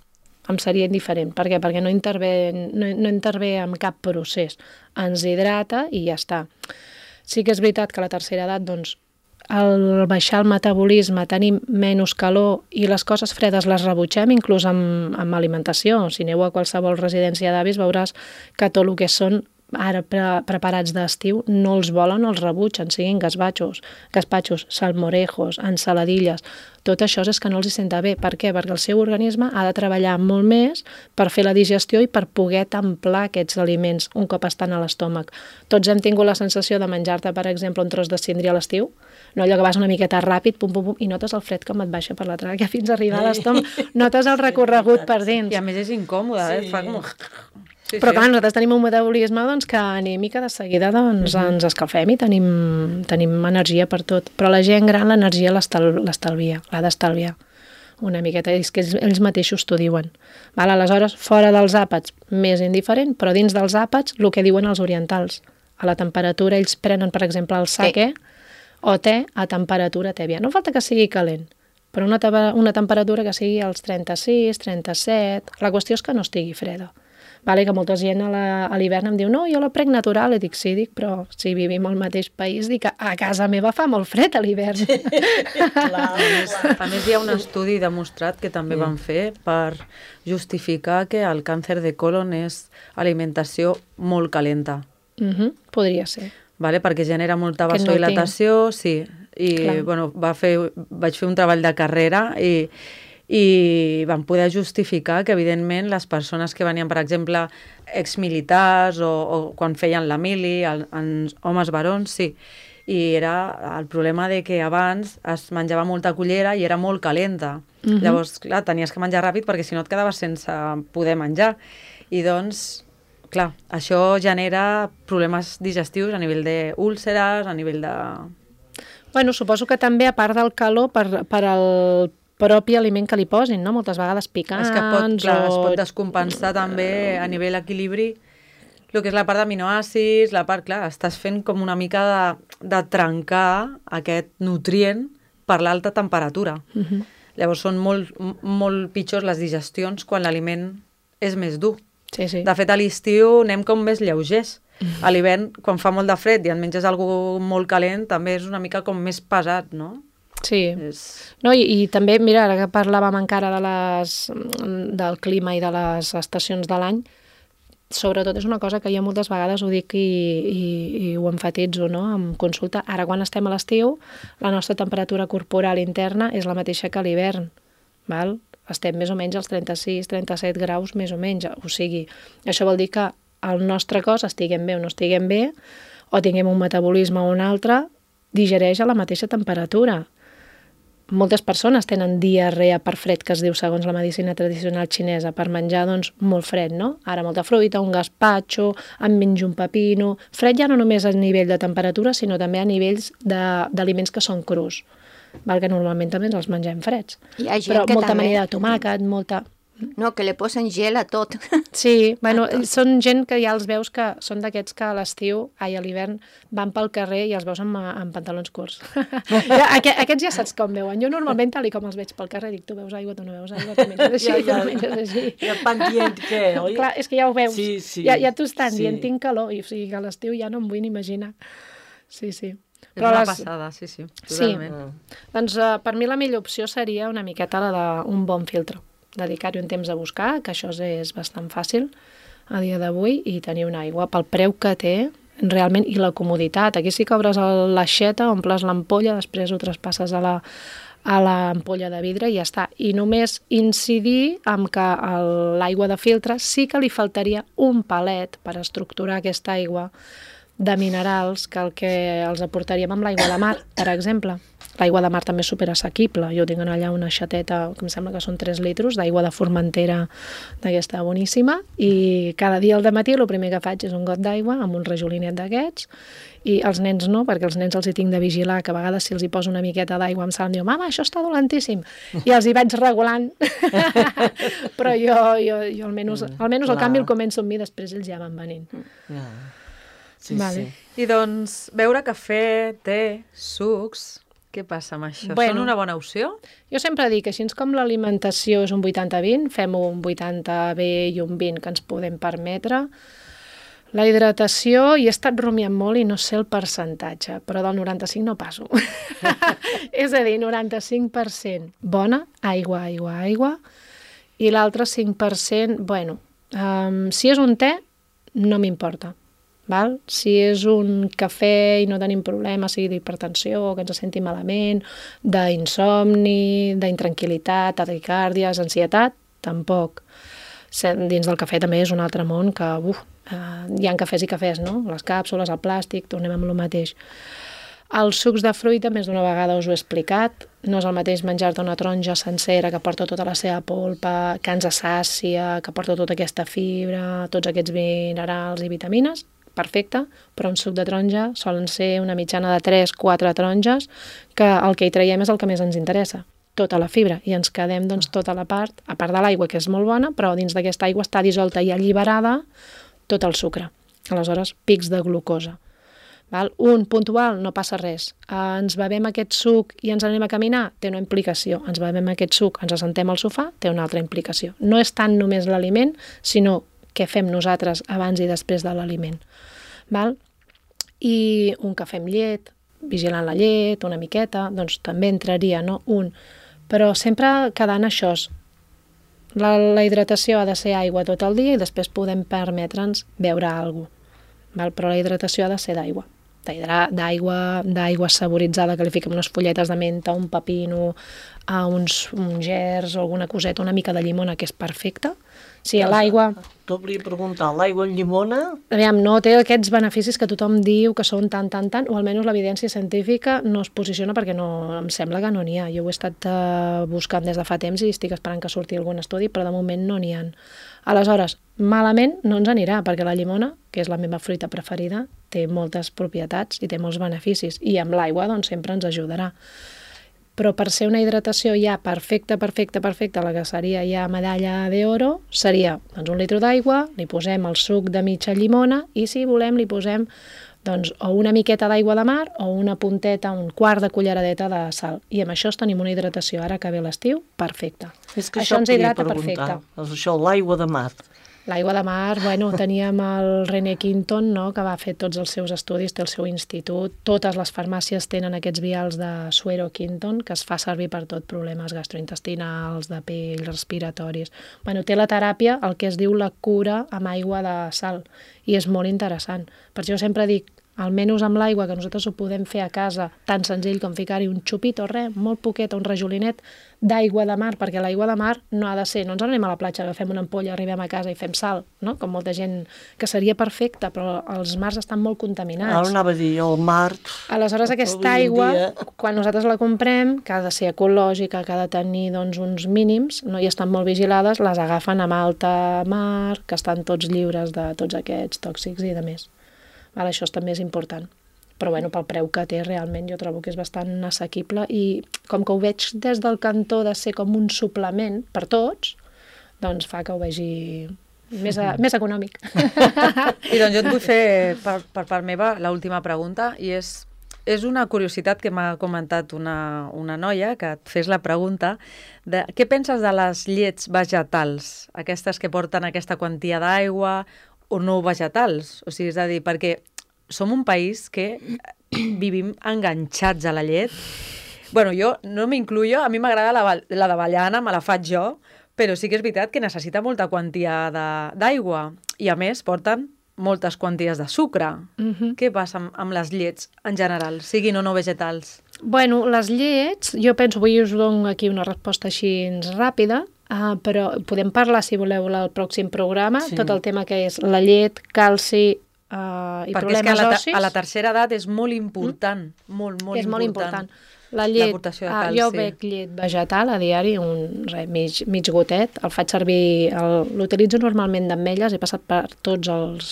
Speaker 4: Em seria indiferent. Per què? Perquè no intervé, no, no intervé en cap procés. Ens hidrata i ja està. Sí que és veritat que a la tercera edat, doncs, al baixar el metabolisme tenim menys calor i les coses fredes les rebutgem, inclús amb, amb alimentació. Si aneu a qualsevol residència d'avis veuràs que tot el que són ara pre preparats d'estiu no els volen, els rebutgen, siguin gazpachos, gazpachos, salmorejos, ensaladilles. Tot això és que no els hi senta bé. Per què? Perquè el seu organisme ha de treballar molt més per fer la digestió i per poder templar aquests aliments un cop estan a l'estómac. Tots hem tingut la sensació de menjar-te, per exemple, un tros de síndria a l'estiu, no allò que vas una miqueta ràpid, pum, pum, pum, i notes el fred com et baixa per la tràquea fins a arribar a l'estómac, notes el recorregut per dins.
Speaker 1: I a més és incòmode, sí. eh? Fa com... Sí,
Speaker 4: Però
Speaker 1: sí.
Speaker 4: clar, nosaltres tenim un metabolisme doncs, que anem i que de seguida doncs, uh-huh. ens escalfem i tenim, tenim energia per tot. Però la gent gran l'energia l'estalvia, l'ha d'estalviar una miqueta, és que ells, ells mateixos t'ho diuen. Val? Aleshores, fora dels àpats, més indiferent, però dins dels àpats, el que diuen els orientals. A la temperatura, ells prenen, per exemple, el sake sí. o te a temperatura tèbia. No falta que sigui calent, però una, una temperatura que sigui als trenta-sis, trenta-set... La qüestió és que no estigui freda. Vale, que molta gent a l'hivern em diu no, jo la prenc natural, i dic sí, dic, però si vivim al mateix país, dic que a casa meva fa molt fred a l'hivern.
Speaker 1: Clar, a, més, a més hi ha un estudi demostrat que també sí. van fer per justificar que el càncer de colon és alimentació molt calenta.
Speaker 4: Uh-huh, podria ser.
Speaker 1: Vale, perquè genera molta vasodilatació, no sí, i bueno, va fer, vaig fer un treball de carrera i i van poder justificar que, evidentment, les persones que venien, per exemple, exmilitars o, o quan feien la mili, el, els homes barons, sí. I era el problema de que abans es menjava molta cullera i era molt calenta. Uh-huh. Llavors, clar, tenies que menjar ràpid perquè si no et quedaves sense poder menjar. I doncs, clar, això genera problemes digestius a nivell d'úlceres, a nivell de...
Speaker 4: Bueno, suposo que també, a part del calor, per, per al propi aliment que li posin, no? Moltes vegades picants...
Speaker 1: És que pot, clar,
Speaker 4: o...
Speaker 1: es pot descompensar també a nivell equilibri el que és la part d'aminoàcids, la part, clar, estàs fent com una mica de, de trencar aquest nutrient per l'alta temperatura. Uh-huh. Llavors són molt, molt pitjors les digestions quan l'aliment és més dur.
Speaker 4: Sí, sí.
Speaker 1: De fet, a l'estiu anem com més lleugers. Uh-huh. A l'hivern, quan fa molt de fred i et menges alguna molt calent, també és una mica com més pesat, no?
Speaker 4: Sí,
Speaker 1: és...
Speaker 4: no, i, i també, mira, ara que parlàvem encara de les, del clima i de les estacions de l'any, sobretot és una cosa que jo moltes vegades ho dic i, i, i ho emfatitzo, no?, en consulta. Ara, quan estem a l'estiu, la nostra temperatura corporal interna és la mateixa que a l'hivern, val? Estem més o menys als trenta-sis trenta-set graus, més o menys, o sigui, això vol dir que el nostre cos, estiguem bé o no estiguem bé, o tinguem un metabolisme o un altre, digereix a la mateixa temperatura. Moltes persones tenen diarrea per fred, que es diu segons la medicina tradicional xinesa, per menjar doncs, molt fred, no? Ara molta fruita, un gazpacho, em menjo un pepino... Fred ja no només a nivell de temperatura, sinó també a nivells d'aliments que són crus, val? Que normalment també els mengem freds.
Speaker 5: Hi ha gent
Speaker 4: Però
Speaker 5: que
Speaker 4: molta
Speaker 5: també...
Speaker 4: amanida de tomàquet, molta...
Speaker 5: No, que li posen gel a tot.
Speaker 4: Sí, bueno, són gent que ja els veus que són d'aquests que a l'estiu, ai, a l'hivern, van pel carrer i els veus amb, amb pantalons curts. Aqu aquests ja saps com veuen. Jo normalment, tal com els veig pel carrer, dic, tu veus aigua, tu no veus aigua, tu menges així,
Speaker 6: ja, ja,
Speaker 4: tu menges així.
Speaker 6: Ja van dient què, oi?
Speaker 4: Clar, és que ja ho veus.
Speaker 6: Sí, sí.
Speaker 4: Ja, ja t'ho estan
Speaker 6: sí.
Speaker 4: dient, tinc calor, i o sigui que a l'estiu ja no em vull ni imaginar. Sí, sí.
Speaker 1: És una les... passada, sí, sí, totalment.
Speaker 4: Sí. Doncs uh, per mi la millor opció seria una miqueta la d'un bon filtre. Dedicar-hi un temps a buscar, que això és bastant fàcil a dia d'avui, i tenir una aigua pel preu que té, realment, i la comoditat. Aquí sí que obres l'aixeta, omples l'ampolla, després ho traspasses a la, a l'ampolla de vidre i ja està. I només incidir en que el- l'aigua de filtre sí que li faltaria un palet per estructurar aquesta aigua de minerals que el que els aportaríem amb l'aigua de mar, per exemple. L'aigua de mar també és superassequible. Jo tinc allà una xateta, que em sembla que són tres litros, d'aigua de Formentera d'aquesta boníssima, i cada dia al dematí el primer que faig és un got d'aigua amb un rajolinet d'aquests, i els nens no, perquè els nens els hi tinc de vigilar, que a vegades si els hi poso una miqueta d'aigua amb sal em diu, mama, això està dolentíssim, i els hi vaig regulant. Però jo, jo, jo almenys, almenys el
Speaker 6: clar.
Speaker 4: canvi el començo amb mi, després ells ja van venint.
Speaker 6: Ja. Sí,
Speaker 4: Vale.
Speaker 6: sí.
Speaker 1: I doncs, beure cafè, te, sucs... Què passa amb això?
Speaker 4: Bueno.
Speaker 1: Són una bona opció?
Speaker 4: Jo sempre dic que així com l'alimentació és un vuitanta vint, fem un vuitanta bé i un vint que ens podem permetre. La hidratació, hi he estat rumiant molt i no sé el percentatge, però del noranta-cinc no passo. És a dir, noranta-cinc per cent bona, aigua, aigua, aigua, i l'altre cinc per cent, bueno, um, si és un te, no m'importa. Val? Si és un cafè i no tenim problema, sigui d'hipertensió, que ens senti malament, d'insomni, d'intranquil·litat, taquicàrdies, ansietat, tampoc. Dins del cafè també és un altre món que, uf, eh, hi ha cafès i cafès, no? Les càpsules, el plàstic, tornem amb el mateix. Els sucs de fruita, més d'una vegada us ho he explicat, no és el mateix menjar-te una taronja sencera que porta tota la seva polpa, que ens assàcia, que porta tota aquesta fibra, tots aquests minerals i vitamines, perfecte, però un suc de taronja solen ser una mitjana de tres quatre taronges, que el que hi traiem és el que més ens interessa, tota la fibra, i ens quedem doncs, tota la part, a part de l'aigua, que és molt bona, però dins d'aquesta aigua està dissolta i alliberada tot el sucre. Aleshores, pics de glucosa. Val? Un puntual, no passa res. Eh, ens bevem aquest suc i ens anem a caminar? Té una implicació. Ens bevem aquest suc, ens assentem al sofà? Té una altra implicació. No és tant només l'aliment, sinó què fem nosaltres abans i després de l'aliment. Val? I un cafè amb llet, vigilant la llet, una miqueta, doncs també entraria, no? Un. Però sempre quedant això. La, la hidratació ha de ser aigua tot el dia i després podem permetre'ns beure alguna cosa. Però la hidratació ha de ser d'aigua. D'aigua d'aigua saboritzada, que li fiquem unes folletes de menta, un pepino, a uns, uns gerds o alguna coseta, una mica de llimona, que és perfecta. Sí, l'aigua...
Speaker 6: T'ho volia preguntar, l'aigua amb llimona?
Speaker 4: Aviam, no té aquests beneficis que tothom diu que són tan, tan, tan, o almenys l'evidència científica no es posiciona perquè no, em sembla que no n'hi ha. Jo ho he estat uh, buscant des de fa temps i estic esperant que surti algun estudi, però de moment no n'hi ha. Aleshores, malament no ens anirà, perquè la llimona, que és la meva fruita preferida, té moltes propietats i té molts beneficis, i amb l'aigua doncs, sempre ens ajudarà. Però per ser una hidratació ja perfecta, perfecta, perfecta, la que seria ja medalla d'oro, seria doncs, un litre d'aigua, li posem el suc de mitja llimona i si volem li posem doncs, o una miqueta d'aigua de mar o una punteta, un quart de culleradeta de sal. I amb això tenim una hidratació, ara que ve l'estiu, perfecta.
Speaker 6: És que
Speaker 4: això,
Speaker 6: això
Speaker 4: ens hidrata perfecte.
Speaker 6: És això, l'aigua de mar.
Speaker 4: L'aigua de mar, bueno, teníem el René Quinton, no?, que va fer tots els seus estudis, té el seu institut. Totes les farmàcies tenen aquests vials de suero Quinton, que es fa servir per tot, problemes gastrointestinals, de pell, respiratoris. Bueno, té la teràpia, el que es diu la cura amb aigua de sal, i és molt interessant. Per això sempre dic, almenys amb l'aigua, que nosaltres ho podem fer a casa, tan senzill com ficar-hi un xupit o res, molt poquet, un rajolinet d'aigua de mar, perquè l'aigua de mar no ha de ser, no ens anem a la platja, agafem una ampolla, arribem a casa i fem sal, no? Com molta gent, que seria perfecta, però els mars estan molt contaminats.
Speaker 6: Ara anava a dir, el mar...
Speaker 4: Aleshores, aquesta aigua, quan nosaltres la comprem, que ha de ser ecològica, que ha de tenir doncs, uns mínims, no? I estan molt vigilades, les agafen amb alta mar, que estan tots lliures de tots aquests tòxics i de més. Val, això també és important. Però bueno, pel preu que té realment jo trobo que és bastant assequible i com que ho veig des del cantó de ser com un suplement per tots, doncs fa que ho vegi més, a, més econòmic.
Speaker 1: I doncs jo et vull fer per, per part meva l'última pregunta i és, és una curiositat que m'ha comentat una, una noia que et fes la pregunta de què penses de les llets vegetals, aquestes que porten aquesta quantia d'aigua o no vegetals, o sigui, és a dir, perquè som un país que vivim enganxats a la llet. Bueno, jo no m'incluyo, a mi m'agrada la, la d'avellana, me la faig jo, però sí que és veritat que necessita molta quantia d'aigua i a més porten moltes quantitats de sucre.
Speaker 4: Mhm.
Speaker 1: Què passa amb, amb les llets en general, siguin o no vegetals?
Speaker 4: Bueno, les llets, jo penso, avui us dono aquí una resposta així ràpida, uh, però podem parlar, si voleu, al pròxim programa,
Speaker 6: Sí.
Speaker 4: tot el tema que és la llet, calci uh, i
Speaker 1: Perquè és que a
Speaker 4: problemes
Speaker 1: la,
Speaker 4: ossis.
Speaker 1: a la tercera edat és molt important, mm? molt, molt
Speaker 4: és molt
Speaker 1: important.
Speaker 4: important. La llet,
Speaker 1: l'aportació de
Speaker 4: ah,
Speaker 1: calci.
Speaker 4: jo bec llet vegetal a diari, un re, mig, mig gotet, el faig servir, el- l'utilitzo normalment d'ametlles, he passat per tots els,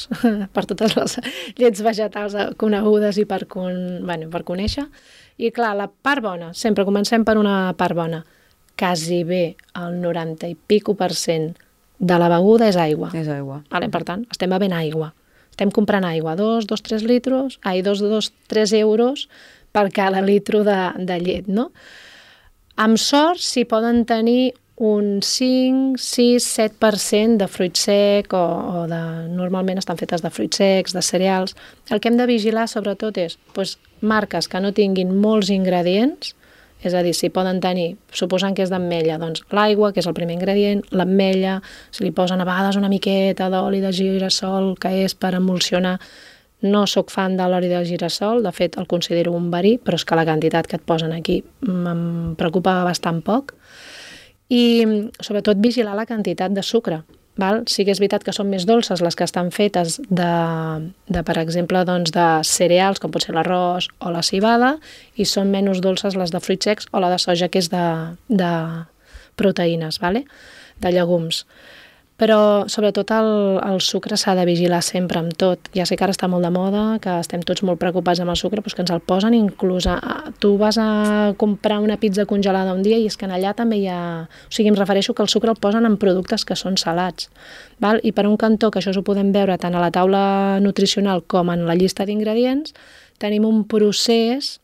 Speaker 4: per totes les llets vegetals conegudes i per, con, bueno, per conèixer. I clar, la part bona, sempre comencem per una part bona, quasi bé el noranta i pico per cent de la beguda és aigua.
Speaker 1: És aigua.
Speaker 4: Vale, per tant, estem bevent aigua. Estem comprant aigua, dos, dos, tres litros, ai, dos, dos, tres euros per cada litro de, de llet, no? Amb sort s'hi poden tenir un cinc, sis, set per cent de fruit sec o, o de, normalment estan fetes de fruits secs, de cereals. El que hem de vigilar sobretot és doncs, marques que no tinguin molts ingredients, és a dir, si poden tenir, suposant que és d'ametlla, doncs l'aigua, que és el primer ingredient, l'ametlla, si li posen a vegades una miqueta d'oli de girassol, que és per emulsionar. No sóc fan de l'oli de girassol, de fet el considero un verí, però és que la quantitat que et posen aquí em preocupa bastant poc. I sobretot vigilar la quantitat de sucre. Val? Sí que és veritat que són més dolces les que estan fetes de, de per exemple, doncs, de cereals, com pot ser l'arròs o la civada, i són menys dolces les de fruits secs o la de soja, que és de, de proteïnes, vale? De llegums. Però sobretot el, el sucre s'ha de vigilar sempre amb tot. Ja sé que ara està molt de moda, que estem tots molt preocupats amb el sucre, però que ens el posen inclús a, a, tu vas a comprar una pizza congelada un dia i és que en allà també hi ha... O sigui, em refereixo que el sucre el posen en productes que són salats. Val? I per un cantó, que això ho podem veure tant a la taula nutricional com en la llista d'ingredients, tenim un procés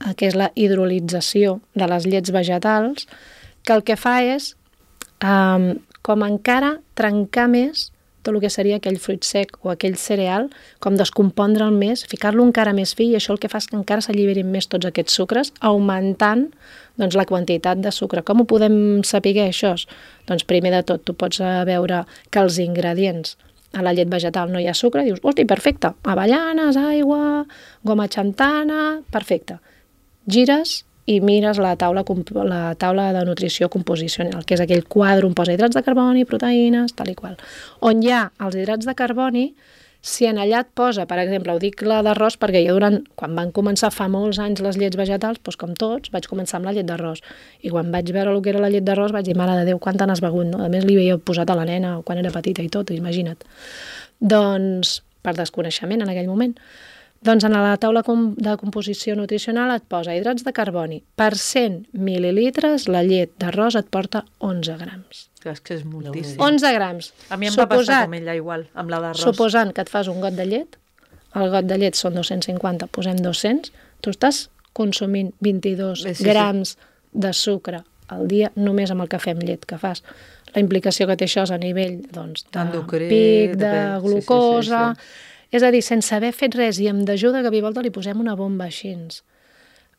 Speaker 4: eh, que és la hidrolització de les llets vegetals, que el que fa és... Eh, com encara trencar més tot el que seria aquell fruit sec o aquell cereal, com descompondre'l més, ficar-lo encara més fi, i això el que fa és que encara s'alliberin més tots aquests sucres, augmentant doncs, la quantitat de sucre. Com ho podem saber això? Doncs primer de tot, tu pots veure que els ingredients a la llet vegetal no hi ha sucre, dius, hosti, perfecte, avellanes, aigua, goma xantana, perfecte. Gires i mires la taula, la taula de nutrició composicional, que és aquell quadre on posa hidrats de carboni, proteïnes, tal i qual. On hi ha els hidrats de carboni, si en allà et posa, per exemple, ho dic la d'arròs, perquè jo durant, quan van començar fa molts anys les llets vegetals, doncs com tots, vaig començar amb la llet d'arròs. I quan vaig veure el que era la llet d'arròs vaig dir, mare de Déu, quant n'has begut, no? A més li havia posat a la nena quan era petita i tot, imagina't. Doncs, per desconeixement en aquell moment. Doncs en la taula de composició nutricional et posa hidrats de carboni. Per cent mil·lilitres, la llet d'arròs et porta onze grams.
Speaker 1: És que és moltíssim.
Speaker 4: onze grams.
Speaker 1: A mi em va passar com ella igual, amb la d'arròs.
Speaker 4: Suposant que et fas un got de llet, el got de llet són dos-cents cinquanta, posem dos-cents, tu estàs consumint vint-i-dos
Speaker 1: sí, sí,
Speaker 4: grams de sucre al dia només amb el cafè amb llet que fas. La implicació que té això és a nivell doncs, de
Speaker 1: Endocrí,
Speaker 4: pic, de
Speaker 1: de- sí,
Speaker 4: glucosa...
Speaker 1: sí, sí,
Speaker 4: És a dir, sense haver fet res i amb d'ajuda que a volta li posem una bomba així.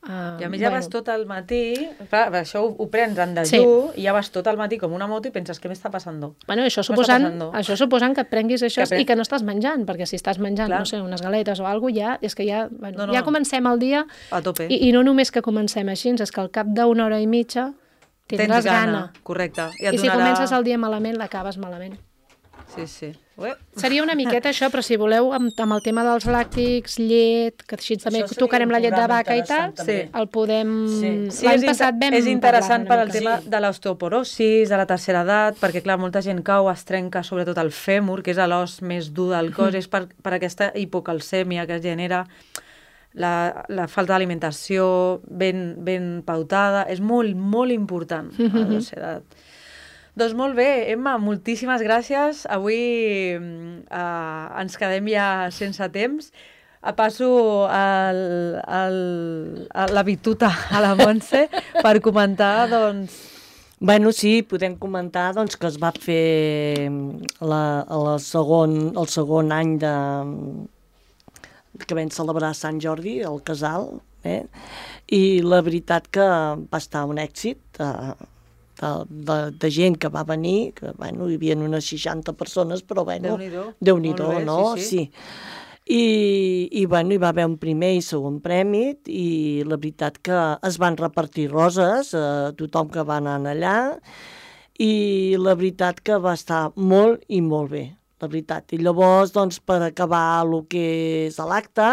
Speaker 4: Uh,
Speaker 1: I a més ja vas tot el matí, clar, això ho, ho prens en dejú,
Speaker 4: Sí.
Speaker 1: i ja vas tot el matí com una moto i penses, què m'està passant?
Speaker 4: Bueno, això
Speaker 1: Què
Speaker 4: suposant,
Speaker 1: m'està passant?
Speaker 4: això suposant que et prenguis això
Speaker 1: Que pren-
Speaker 4: i que no estàs menjant, perquè si estàs menjant,
Speaker 1: Clar.
Speaker 4: no sé, unes galetes o alguna cosa, ja, és que ja, bueno,
Speaker 1: No, no,
Speaker 4: ja
Speaker 1: no.
Speaker 4: comencem el dia
Speaker 1: A tope.
Speaker 4: i, i no només que comencem així, és que al cap d'una hora i mitja tindràs
Speaker 1: Tens
Speaker 4: gana.
Speaker 1: Correcte.
Speaker 4: I,
Speaker 1: et
Speaker 4: si
Speaker 1: donarà-
Speaker 4: comences el dia malament, l'acabes malament.
Speaker 1: Sí, sí. Ué.
Speaker 4: Seria una miqueta això, però si voleu, amb, amb el tema dels làctics, llet, que així també
Speaker 6: Això seria
Speaker 4: tocarem
Speaker 6: un
Speaker 4: la llet de
Speaker 6: programa
Speaker 4: vaca i tal,
Speaker 6: interessant, també.
Speaker 4: el podem...
Speaker 6: Sí.
Speaker 1: Sí,
Speaker 4: L'any
Speaker 1: és, inter
Speaker 4: passat vam
Speaker 1: és interessant per
Speaker 4: parlar-ne
Speaker 1: al
Speaker 4: una
Speaker 1: tema
Speaker 4: mica.
Speaker 1: de l'osteoporosis, de la tercera edat, perquè, clar, molta gent cau, es trenca sobretot el fèmur, que és l'os més dur del cos, és per, per aquesta hipocalcèmia que es genera, la, la falta d'alimentació ben, ben pautada, és molt, molt important a la tercera edat. Doncs molt bé, Emma, moltíssimes gràcies. Avui eh, ens quedem ja sense temps. A passo el, el, el, la bituta a la Montse per comentar, doncs...
Speaker 6: Bueno, sí, podem comentar doncs, que es va fer la, la segon, el segon any de, que vam celebrar Sant Jordi, el casal, eh? I la veritat que va estar un èxit. Eh, de, de, de gent que va venir, que bueno, hi havia unes seixanta persones, però bueno,
Speaker 1: Déu-n'hi-do.
Speaker 6: Déu-n'hi-do,
Speaker 1: Molt bé,
Speaker 6: no?
Speaker 1: sí,
Speaker 6: Sí. I, i bueno, hi va haver un primer i segon premi i la veritat que es van repartir roses a tothom que va anar allà i la veritat que va estar molt i molt bé, la veritat. I llavors, doncs, per acabar el que és l'acte,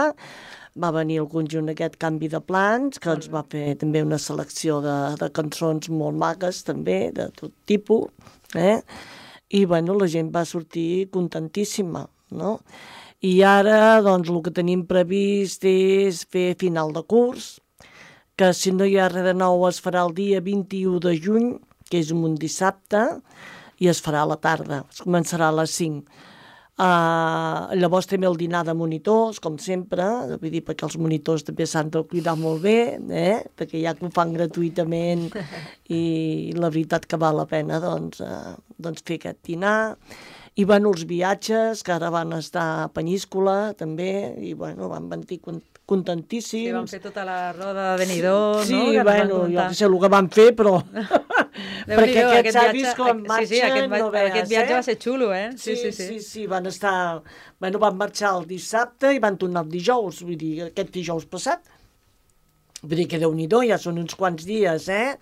Speaker 6: va venir el conjunt aquest Canvi de Plans, que ens va fer també una selecció de, de cançons molt maques, també, de tot tipus, eh? I, bueno, la gent va sortir contentíssima, no? I ara, doncs, el que tenim previst és fer final de curs, que si no hi ha res de nou es farà el dia vint-i-u de juny, que és un dissabte, i es farà a la tarda, es començarà a les cinc. Uh, llavors també el dinar de monitors, com sempre, vull dir, perquè els monitors també s'han de cuidar molt bé, eh? Perquè ja que ho fan gratuïtament i la veritat que val la pena doncs, uh, doncs fer aquest dinar. I bueno, els viatges, que ara van estar a Penyíscola també, i bueno, van venir contentíssims.
Speaker 1: Sí, van fer tota la roda de Benidorm,
Speaker 6: sí,
Speaker 1: no?
Speaker 6: Sí, bueno, jo no sé el que van fer, però... perquè aquests avis com marxen,
Speaker 1: sí, sí, aquest,
Speaker 6: no veus,
Speaker 1: aquest viatge
Speaker 6: eh?
Speaker 1: va ser xulo, eh?
Speaker 6: Sí, sí, sí, sí, sí, van estar... Bueno, van marxar el dissabte i van tornar el dijous, vull dir, aquest dijous passat. Vull dir que Déu-n'hi-do, ja són uns quants dies, eh?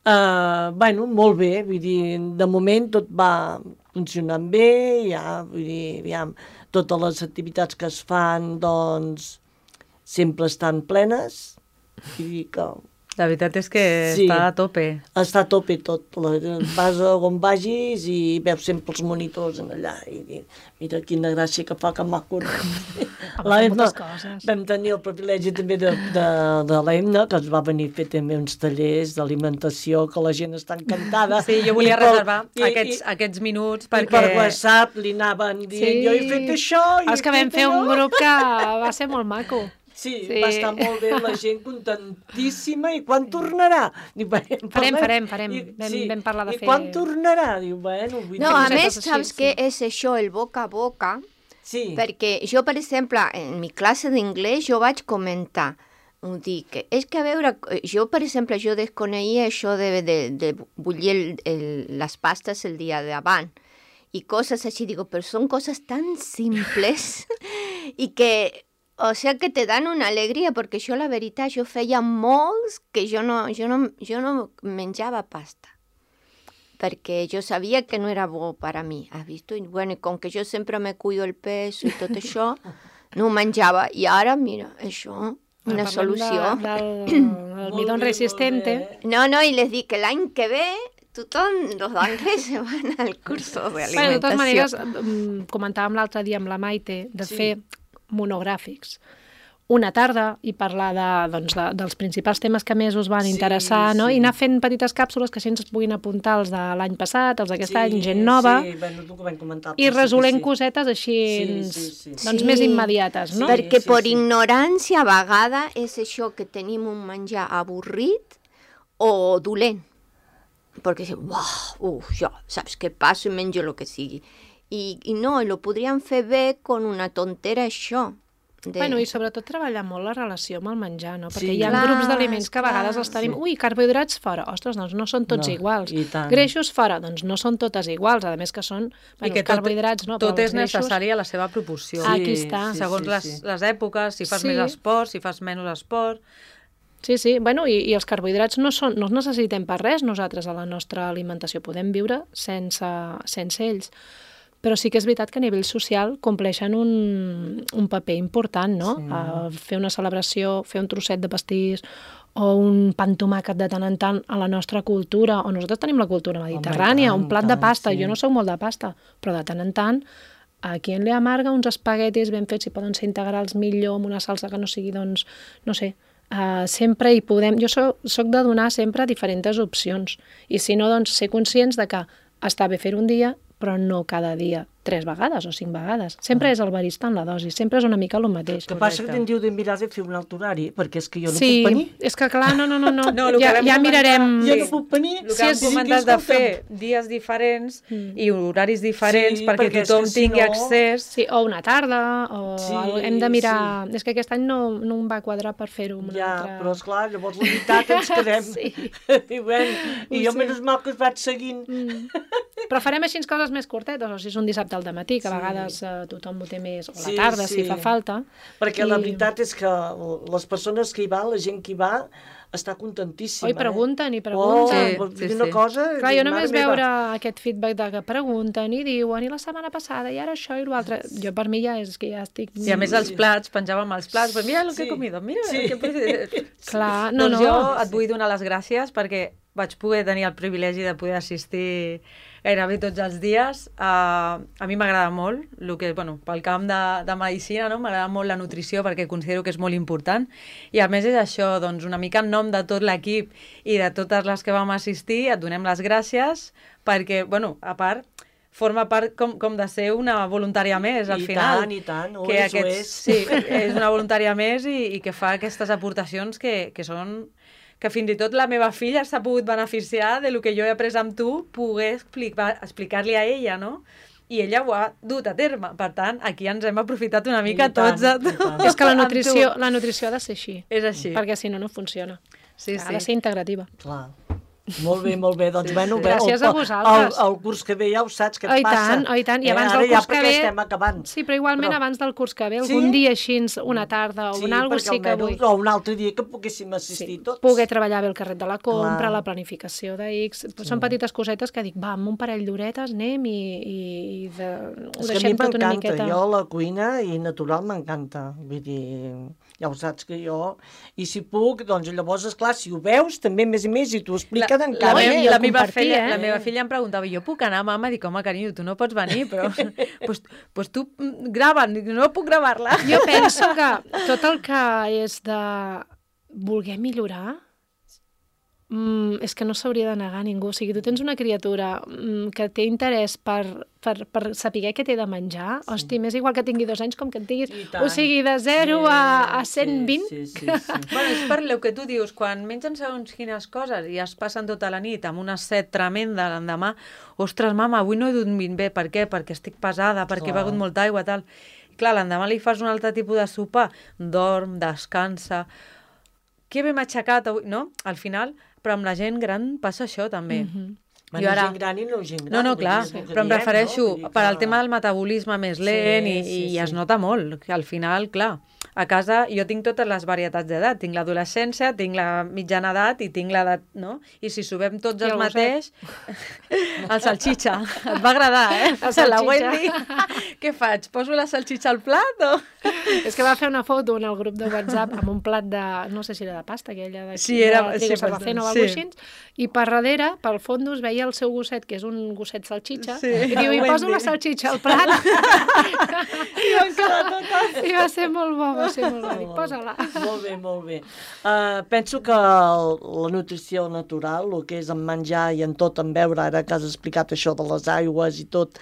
Speaker 6: Uh, bueno, molt bé, vull dir, de moment tot va funcionant bé, ja, vull dir, aviam, totes les activitats que es fan, doncs, sempre estan plenes, vull dir que...
Speaker 1: La veritat és que
Speaker 6: sí,
Speaker 1: està a tope.
Speaker 6: Està a tope tot. Vas a on vagis i veus sempre els monitors en allà. I mira quina gràcia que fa, que maco.
Speaker 4: Moltes coses.
Speaker 6: Vam tenir el privilegi també de, de, de l'Emna, que ens va venir a fer també uns tallers d'alimentació, que la gent està encantada.
Speaker 1: Sí, jo volia
Speaker 6: I per,
Speaker 1: reservar
Speaker 6: i,
Speaker 1: aquests,
Speaker 6: i,
Speaker 1: aquests minuts
Speaker 6: perquè... I per WhatsApp li anaven dient, sí, jo he fet això...
Speaker 4: És que vam fer un grup que va ser molt maco.
Speaker 6: Sí, sí, va estar molt bé, la gent contentíssima. I quan tornarà? Diu, bueno,
Speaker 4: farem, farem, farem.
Speaker 6: I,
Speaker 4: vam,
Speaker 6: sí,
Speaker 4: vam parlar de
Speaker 6: i
Speaker 4: fer...
Speaker 6: I quan tornarà? Diu, bueno... Vull
Speaker 5: no,
Speaker 6: dir...
Speaker 5: a més, saps sí. què és això, el boca a boca?
Speaker 6: Sí.
Speaker 5: Perquè jo, per exemple, en mi classe d'inglès jo vaig comentar, ho dic, és que a veure, jo, per exemple, jo desconeixia això de, de, de bullir el, el, les pastes el dia d'abans i coses així, digo, però són coses tan simples i que... O sea que te dan una alegria, perquè jo, la veritat, jo feia molts que jo no, jo no, jo no menjava pasta, perquè jo sabia que no era bo per a mi, has vist? I, bueno, i com que jo sempre me cuido el pes i tot això, no ho menjava. I ara, mira, això, una solució.
Speaker 4: De, del, del midón resistente.
Speaker 5: No, no, i les dic que l'any que ve tothom, los d'anglès, se van al curso de alimentació.
Speaker 4: Bueno, de totes maneres, comentàvem l'altre dia amb la Maite de sí. fer monogràfics una tarda i parlar de, doncs, de, dels principals temes que més us van sí, interessar, no? Sí. I anar fent petites càpsules que així ens puguin apuntar els de l'any passat, els d'aquest sí, any, gent nova,
Speaker 6: sí, bueno, tu que vam comentar,
Speaker 4: i resolent
Speaker 6: sí.
Speaker 4: cosetes així sí, sí, sí. Doncs,
Speaker 5: sí.
Speaker 4: més immediates, no?
Speaker 5: Sí, perquè
Speaker 6: sí,
Speaker 5: per
Speaker 6: sí.
Speaker 5: ignorància a vegada és això que tenim un menjar avorrit o dolent. Perquè dius, uau, uf, jo, saps què passo i menjo el que sigui. I, i no, i lo podríem fer bé con una tontera això. De...
Speaker 4: Bueno, i sobretot treballar molt la relació amb el menjar, no? Perquè
Speaker 6: sí,
Speaker 4: hi ha
Speaker 5: clar,
Speaker 4: grups d'aliments que a vegades els tenim,
Speaker 6: sí.
Speaker 4: ui, carbohidrats fora, ostres, doncs no són tots
Speaker 6: no,
Speaker 4: iguals.
Speaker 6: tant.
Speaker 4: Greixos fora, doncs no són totes iguals, a més que són, bueno,
Speaker 1: I que tot,
Speaker 4: carbohidrats, no?
Speaker 1: tot és
Speaker 4: greixos...
Speaker 1: necessari a la seva proporció.
Speaker 4: Sí, aquí està.
Speaker 1: Sí, segons sí, les, sí. les èpoques, si fas
Speaker 4: sí.
Speaker 1: més esport, si fas menys esport...
Speaker 4: Sí, sí, bueno, i, i els carbohidrats no, són, no els necessitem per res nosaltres a la nostra alimentació, podem viure sense, sense ells. Però sí que és veritat que a nivell social compleixen un, un paper important, no? Sí. Uh, fer una celebració, fer un trosset de pastís o un pa amb tomàquet de tant en tant a la nostra cultura, o nosaltres tenim la cultura mediterrània,
Speaker 6: Home, tant,
Speaker 4: un plat
Speaker 6: tant,
Speaker 4: de pasta,
Speaker 6: sí.
Speaker 4: jo no soc molt de pasta, però de tant en tant a qui en li amarga uns espaguetis ben fets, si poden ser integrals millor, amb una salsa que no sigui, doncs, no sé, uh, sempre hi podem... Jo soc, soc de donar sempre diferents opcions, i si no, doncs, ser conscients de que està bé fer un dia, però no cada dia tres vegades o cinc vegades. Sempre és el barista en la dosi, sempre és una mica el mateix.
Speaker 6: Que passa que te'n diu de mirar de fer un altre horari, perquè és que jo no
Speaker 4: sí,
Speaker 6: puc venir.
Speaker 4: és que clar, no, no, no, no.
Speaker 1: No, el que
Speaker 4: ja,
Speaker 1: vam
Speaker 4: ja
Speaker 1: comentar-
Speaker 4: mirarem...
Speaker 6: Jo no puc venir.
Speaker 1: El que hem
Speaker 6: Sí,
Speaker 1: comentat
Speaker 6: sí,
Speaker 1: de
Speaker 6: escolta'm.
Speaker 1: fer dies diferents i horaris diferents
Speaker 6: Sí,
Speaker 1: perquè
Speaker 6: perquè és
Speaker 1: tothom
Speaker 6: que si
Speaker 1: tingui
Speaker 6: no-
Speaker 1: accés.
Speaker 4: Sí, o una tarda, o
Speaker 6: Sí,
Speaker 4: algo. Hem de mirar... És que aquest any no, no em va quadrar per fer-ho amb una
Speaker 6: Ja,
Speaker 4: altra...
Speaker 6: però esclar, llavors la veritat ens quedem.
Speaker 4: Sí.
Speaker 6: I, bueno, i jo, menys mal que us vaig seguint.
Speaker 4: Mm. Però farem així coses més curtetes, o si és un dissabte al dematí, que a
Speaker 6: Sí.
Speaker 4: vegades eh, tothom ho té més, o a la
Speaker 6: Sí,
Speaker 4: tarda,
Speaker 6: sí.
Speaker 4: si fa falta.
Speaker 6: Perquè la veritat és que les persones que hi van, la gent que hi va, està contentíssima.
Speaker 4: Oi, pregunten i
Speaker 6: Eh?
Speaker 4: pregunten.
Speaker 6: Oh,
Speaker 1: Sí,
Speaker 6: sí,
Speaker 1: sí,
Speaker 6: una
Speaker 1: sí.
Speaker 6: cosa...
Speaker 4: Clar,
Speaker 6: dic,
Speaker 4: jo només
Speaker 6: mare meva.
Speaker 4: veure aquest feedback de que pregunten i diuen, i la setmana passada, i ara això i l'altre... Jo per mi ja és que ja estic...
Speaker 1: I a més els plats, penjàvem els plats, pues mira el que
Speaker 6: Sí.
Speaker 1: he comido, mira
Speaker 6: Sí.
Speaker 1: el que he...
Speaker 4: Clar, no,
Speaker 1: doncs
Speaker 4: no.
Speaker 1: jo et vull donar les gràcies perquè vaig poder tenir el privilegi de poder assistir gairebé tots els dies. Uh, a mi m'agrada molt, el que, bueno, pel camp de, de medicina, no? M'agrada molt la nutrició perquè considero que és molt important. I a més és això, doncs, una mica en nom de tot l'equip i de totes les que vam assistir, et donem les gràcies perquè, bueno, a part, forma part com, com de ser una voluntària més, al
Speaker 6: I
Speaker 1: final.
Speaker 6: tant, i tant, ho
Speaker 1: que
Speaker 6: és, ho és.
Speaker 1: Sí, és una voluntària més i, i que fa aquestes aportacions que, que són que fins i tot la meva filla s'ha pogut beneficiar de lo que jo he après amb tu, poder explicar, explicar-li a ella, no? I ella ho ha dut a terme. Per tant, aquí ens hem aprofitat una mica
Speaker 6: I tant,
Speaker 1: tots a
Speaker 6: i tant.
Speaker 4: És que la
Speaker 1: amb tu.
Speaker 4: nutrició, la nutrició ha de ser així,
Speaker 1: És així.
Speaker 4: perquè si no, no funciona.
Speaker 1: Sí,
Speaker 4: Ha
Speaker 1: sí.
Speaker 4: de ser integrativa.
Speaker 6: Clar. Molt bé, molt bé. Doncs,
Speaker 1: Sí,
Speaker 6: bueno,
Speaker 1: sí.
Speaker 6: bé,
Speaker 4: Gràcies
Speaker 6: el,
Speaker 4: a vosaltres.
Speaker 6: El, el curs que ve ja ho saps què
Speaker 4: Oh,
Speaker 6: et
Speaker 4: i
Speaker 6: passa.
Speaker 4: tant, oh, i tant. I abans
Speaker 6: eh?
Speaker 4: del
Speaker 6: Ara
Speaker 4: curs
Speaker 6: ja
Speaker 4: que
Speaker 6: perquè
Speaker 4: ve...
Speaker 6: estem acabant.
Speaker 4: Sí, però igualment
Speaker 6: Però-
Speaker 4: abans del curs que ve,
Speaker 6: Sí?
Speaker 4: algun dia així, una tarda o
Speaker 6: Sí,
Speaker 4: un algo,
Speaker 6: perquè
Speaker 4: sí que vull.
Speaker 6: almenys, o un altre dia que poguéssim assistir
Speaker 4: Sí,
Speaker 6: tots.
Speaker 4: poder treballar bé el carret de la compra,
Speaker 6: Clar.
Speaker 4: la planificació de X... Són petites cosetes que dic, va, amb un parell d'horetes anem i, i, i de, ho
Speaker 6: És que a mi
Speaker 4: deixem tot una
Speaker 6: m'encanta,
Speaker 4: miqueta...
Speaker 6: jo la cuina i natural m'encanta, vull dir, ja ho saps que jo, i si puc, doncs llavors, esclar, si ho veus, també més i més, i t'ho expliquen
Speaker 1: la,
Speaker 6: encara
Speaker 1: me,
Speaker 6: més.
Speaker 1: la,
Speaker 4: el
Speaker 1: meva
Speaker 4: compartir,
Speaker 1: filla,
Speaker 4: eh?
Speaker 1: la meva filla em preguntava, jo puc anar, mama? Dic, home, carinyo, tu no pots venir, però pues, pues tu mm, grava, Dic, no puc gravar-la.
Speaker 4: Jo penso que tot el que és de voler millorar mm, és que no s'hauria de negar a ningú. O sigui, tu tens una criatura mm, que té interès per, per, per saber què té de menjar, sí. Hosti, m'és igual que tingui dos anys com que en tinguis...
Speaker 6: I tant.
Speaker 4: O sigui, de zero
Speaker 6: Sí,
Speaker 4: a, a cent vint...
Speaker 6: Sí, sí, sí, sí.
Speaker 1: Bueno, és per el que tu dius, quan mengen segons quines coses i es passen tota la nit amb una set tremenda l'endemà, ostres, mama, avui no he dormit bé, per què? Perquè estic pesada, perquè he
Speaker 6: Clar.
Speaker 1: begut molta aigua, tal. I clar, l'endemà li fas un altre tipus de sopar, dorm, descansa, que bé m'ha aixecat avui, no? Al final, però amb la gent gran passa això també.
Speaker 4: Mhm.
Speaker 6: Bueno,
Speaker 1: Jo ara-
Speaker 6: gent gran i no gent gran.
Speaker 1: No, no,
Speaker 6: vull
Speaker 1: clar,
Speaker 6: dir, és el que
Speaker 1: però em
Speaker 6: diem,
Speaker 1: refereixo
Speaker 6: no? Vull dir
Speaker 1: per al
Speaker 6: que-
Speaker 1: tema del metabolisme més lent
Speaker 6: Sí,
Speaker 1: i,
Speaker 6: sí,
Speaker 1: i es
Speaker 6: sí.
Speaker 1: nota molt, que al final, clar, a casa jo tinc totes les varietats d'edat, tinc l'adolescència, tinc la mitjana edat i tinc l'edat, no? I si subem tots
Speaker 4: I
Speaker 1: el
Speaker 4: el
Speaker 1: mateix, el salxitxa, et va agradar, eh?
Speaker 4: El
Speaker 1: La
Speaker 4: salxitxa.
Speaker 1: Wendy, què faig? Poso la salxitxa al plat o...?
Speaker 4: És que va fer una foto en el grup de WhatsApp amb un plat de, no sé si era de pasta, aquella de,
Speaker 1: Sí, era-
Speaker 4: de
Speaker 1: sí,
Speaker 4: trigo sarraceno o
Speaker 1: sí.
Speaker 4: alguna cosa així, i per darrere, pel fons, veia el seu gosset, que és un gosset salxitxa,
Speaker 1: Sí.
Speaker 4: i diu, i
Speaker 1: Wendy.
Speaker 4: poso la salxitxa al plat.
Speaker 1: I van quedar totes...
Speaker 4: I va ser molt bo, va ser molt bo. Dic, posa-la.
Speaker 6: Molt bé, molt bé. Uh, penso que el, la nutrició natural, el que és en menjar i en tot, en beure, ara que has explicat això de les aigües i tot,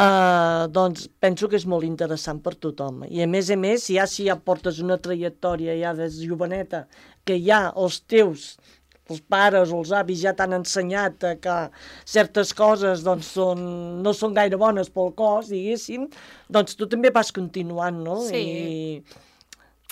Speaker 6: uh, doncs penso que és molt interessant per tothom. I a més a més, ja si ja portes una trajectòria ja des de joveneta, que ja els teus els pares o els avis ja t'han ensenyat eh, que certes coses doncs, són, no són gaire bones pel cos, diguéssim, doncs tu també vas continuant, no?
Speaker 4: Sí.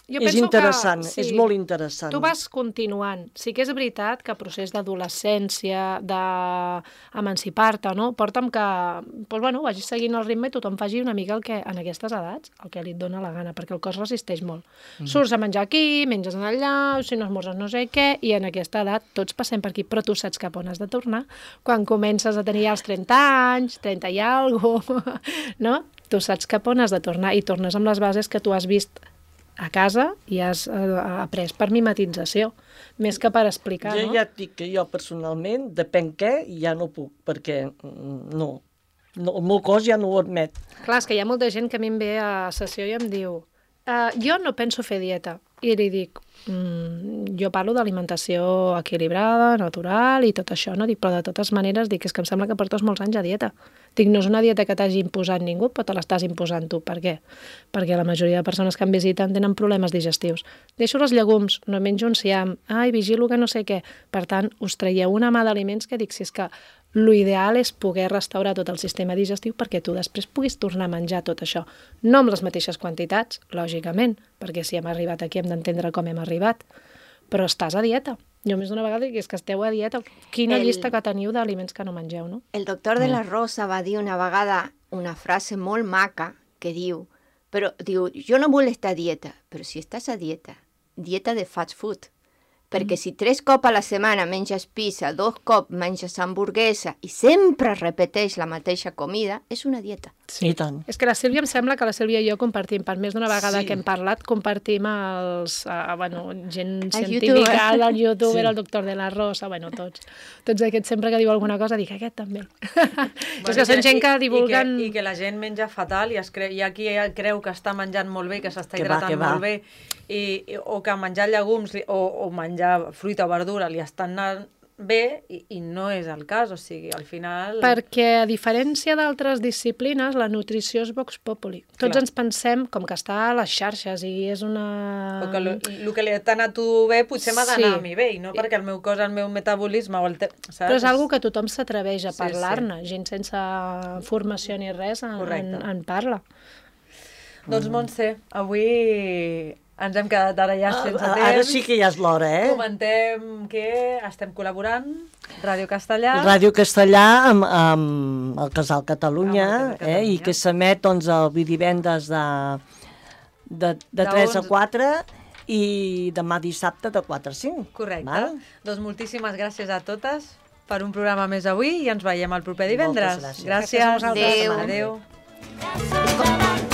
Speaker 6: I
Speaker 4: Jo
Speaker 6: és
Speaker 4: penso
Speaker 6: interessant,
Speaker 4: que,
Speaker 6: és molt interessant.
Speaker 4: Tu vas continuant. Sí que és veritat que el procés d'adolescència, d'emancipar-te, no? porta'm que doncs, bueno, vagis seguint el ritme i tothom faci una mica el que, en aquestes edats, el que li et dona la gana, perquè el cos resisteix molt. Mm. Surts a menjar aquí, menges en allà, si no esmorzes no sé què, i en aquesta edat tots passem per aquí, però tu saps cap on has de tornar. Quan comences a tenir ja els trenta anys, trenta i alguna cosa, no? Tu saps cap on has de tornar i tornes amb les bases que tu has vist a casa i has eh, après per mimetització, més que per explicar,
Speaker 6: Jo
Speaker 4: no?
Speaker 6: ja et dic que jo personalment, depèn què, ja no puc, perquè mm, no, no, el meu cos ja no ho admet.
Speaker 4: Clar, és que hi ha molta gent que a mi em ve a sessió i em diu uh, jo no penso fer dieta. I li dic, mm, jo parlo d'alimentació equilibrada, natural i tot això, no? Dic, però de totes maneres dic, és que em sembla que portes molts anys a dieta. Dic, no és una dieta que t'hagi imposat ningú, però te l'estàs imposant tu. Per què? Perquè la majoria de persones que em visiten tenen problemes digestius. Deixo els llegums, no menjo enciam, ai, vigilo que no sé què. Per tant, us traieu una mà d'aliments que dic, si és que l'ideal és poder restaurar tot el sistema digestiu perquè tu després puguis tornar a menjar tot això. No amb les mateixes quantitats, lògicament, perquè si hem arribat aquí hem d'entendre com hem arribat, però estàs a dieta. Jo més d'una vegada dic, és que esteu a dieta. Quina
Speaker 5: El-
Speaker 4: llista que teniu d'aliments que no mengeu, no?
Speaker 5: El doctor de la Rosa va dir una vegada una frase molt maca que diu, però diu, jo no vull estar a dieta, però si estàs a dieta, dieta de fast food, perquè si tres cops a la setmana menges pizza, dos cops menges hamburguesa i sempre repeteix la mateixa comida, és una dieta.
Speaker 6: Sí, i tant.
Speaker 4: És que la Sílvia em sembla que la Sílvia i jo compartim, per més d'una vegada
Speaker 6: Sí.
Speaker 4: que hem parlat, compartim els, uh, bueno, gent
Speaker 5: El
Speaker 4: científica,
Speaker 5: youtuber.
Speaker 4: el youtuber,
Speaker 6: Sí.
Speaker 4: el doctor de la Rosa, bueno, tots. Tots aquests sempre que diu alguna cosa, dic, aquest també. és que són gent que divulguen...
Speaker 1: I que, i que la gent menja fatal i es creu, hi ha qui creu que està menjant molt bé, que s'està
Speaker 6: Que va,
Speaker 1: hidratant
Speaker 6: que va.
Speaker 1: molt bé, i, i- o que menjar llegums li- o, o menjar fruita o verdura li estan anant bé i, i no és el cas, o sigui, al final...
Speaker 4: Perquè, a diferència d'altres disciplines, la nutrició és vox populi. Tots
Speaker 1: Clar.
Speaker 4: ens pensem com que està a les xarxes i és una...
Speaker 1: O que el que li t'ha anat a tu bé potser m'ha d'anar
Speaker 4: Sí.
Speaker 1: a mi bé, i no perquè el meu cos, el meu metabolisme o el te... saps?
Speaker 4: Però és algo que tothom s'atreveix a
Speaker 1: Sí,
Speaker 4: parlar-ne. Gent sense formació ni res en, en,
Speaker 1: Correcte.
Speaker 4: en parla.
Speaker 1: Doncs Montse, avui ens hem quedat ara ja sense temps.
Speaker 6: Ara sí que ja és l'hora, eh?
Speaker 1: Comentem que estem col·laborant, Ràdio Castellà.
Speaker 6: Ràdio Castellà amb, amb el Casal Catalunya,
Speaker 1: Amb el Casal
Speaker 6: eh? I
Speaker 1: Catalunya.
Speaker 6: que s'emet doncs, el divendres de, de, de
Speaker 1: De
Speaker 6: tres a
Speaker 1: onze.
Speaker 6: quatre i demà dissabte de quatre a cinc.
Speaker 1: Correcte.
Speaker 6: Val?
Speaker 1: Doncs moltíssimes gràcies a totes per un programa més avui i ens veiem el proper divendres.
Speaker 6: Moltes gràcies.
Speaker 1: Gràcies.
Speaker 4: Gràcies a vosaltres.
Speaker 1: Adéu.
Speaker 2: Braços avall,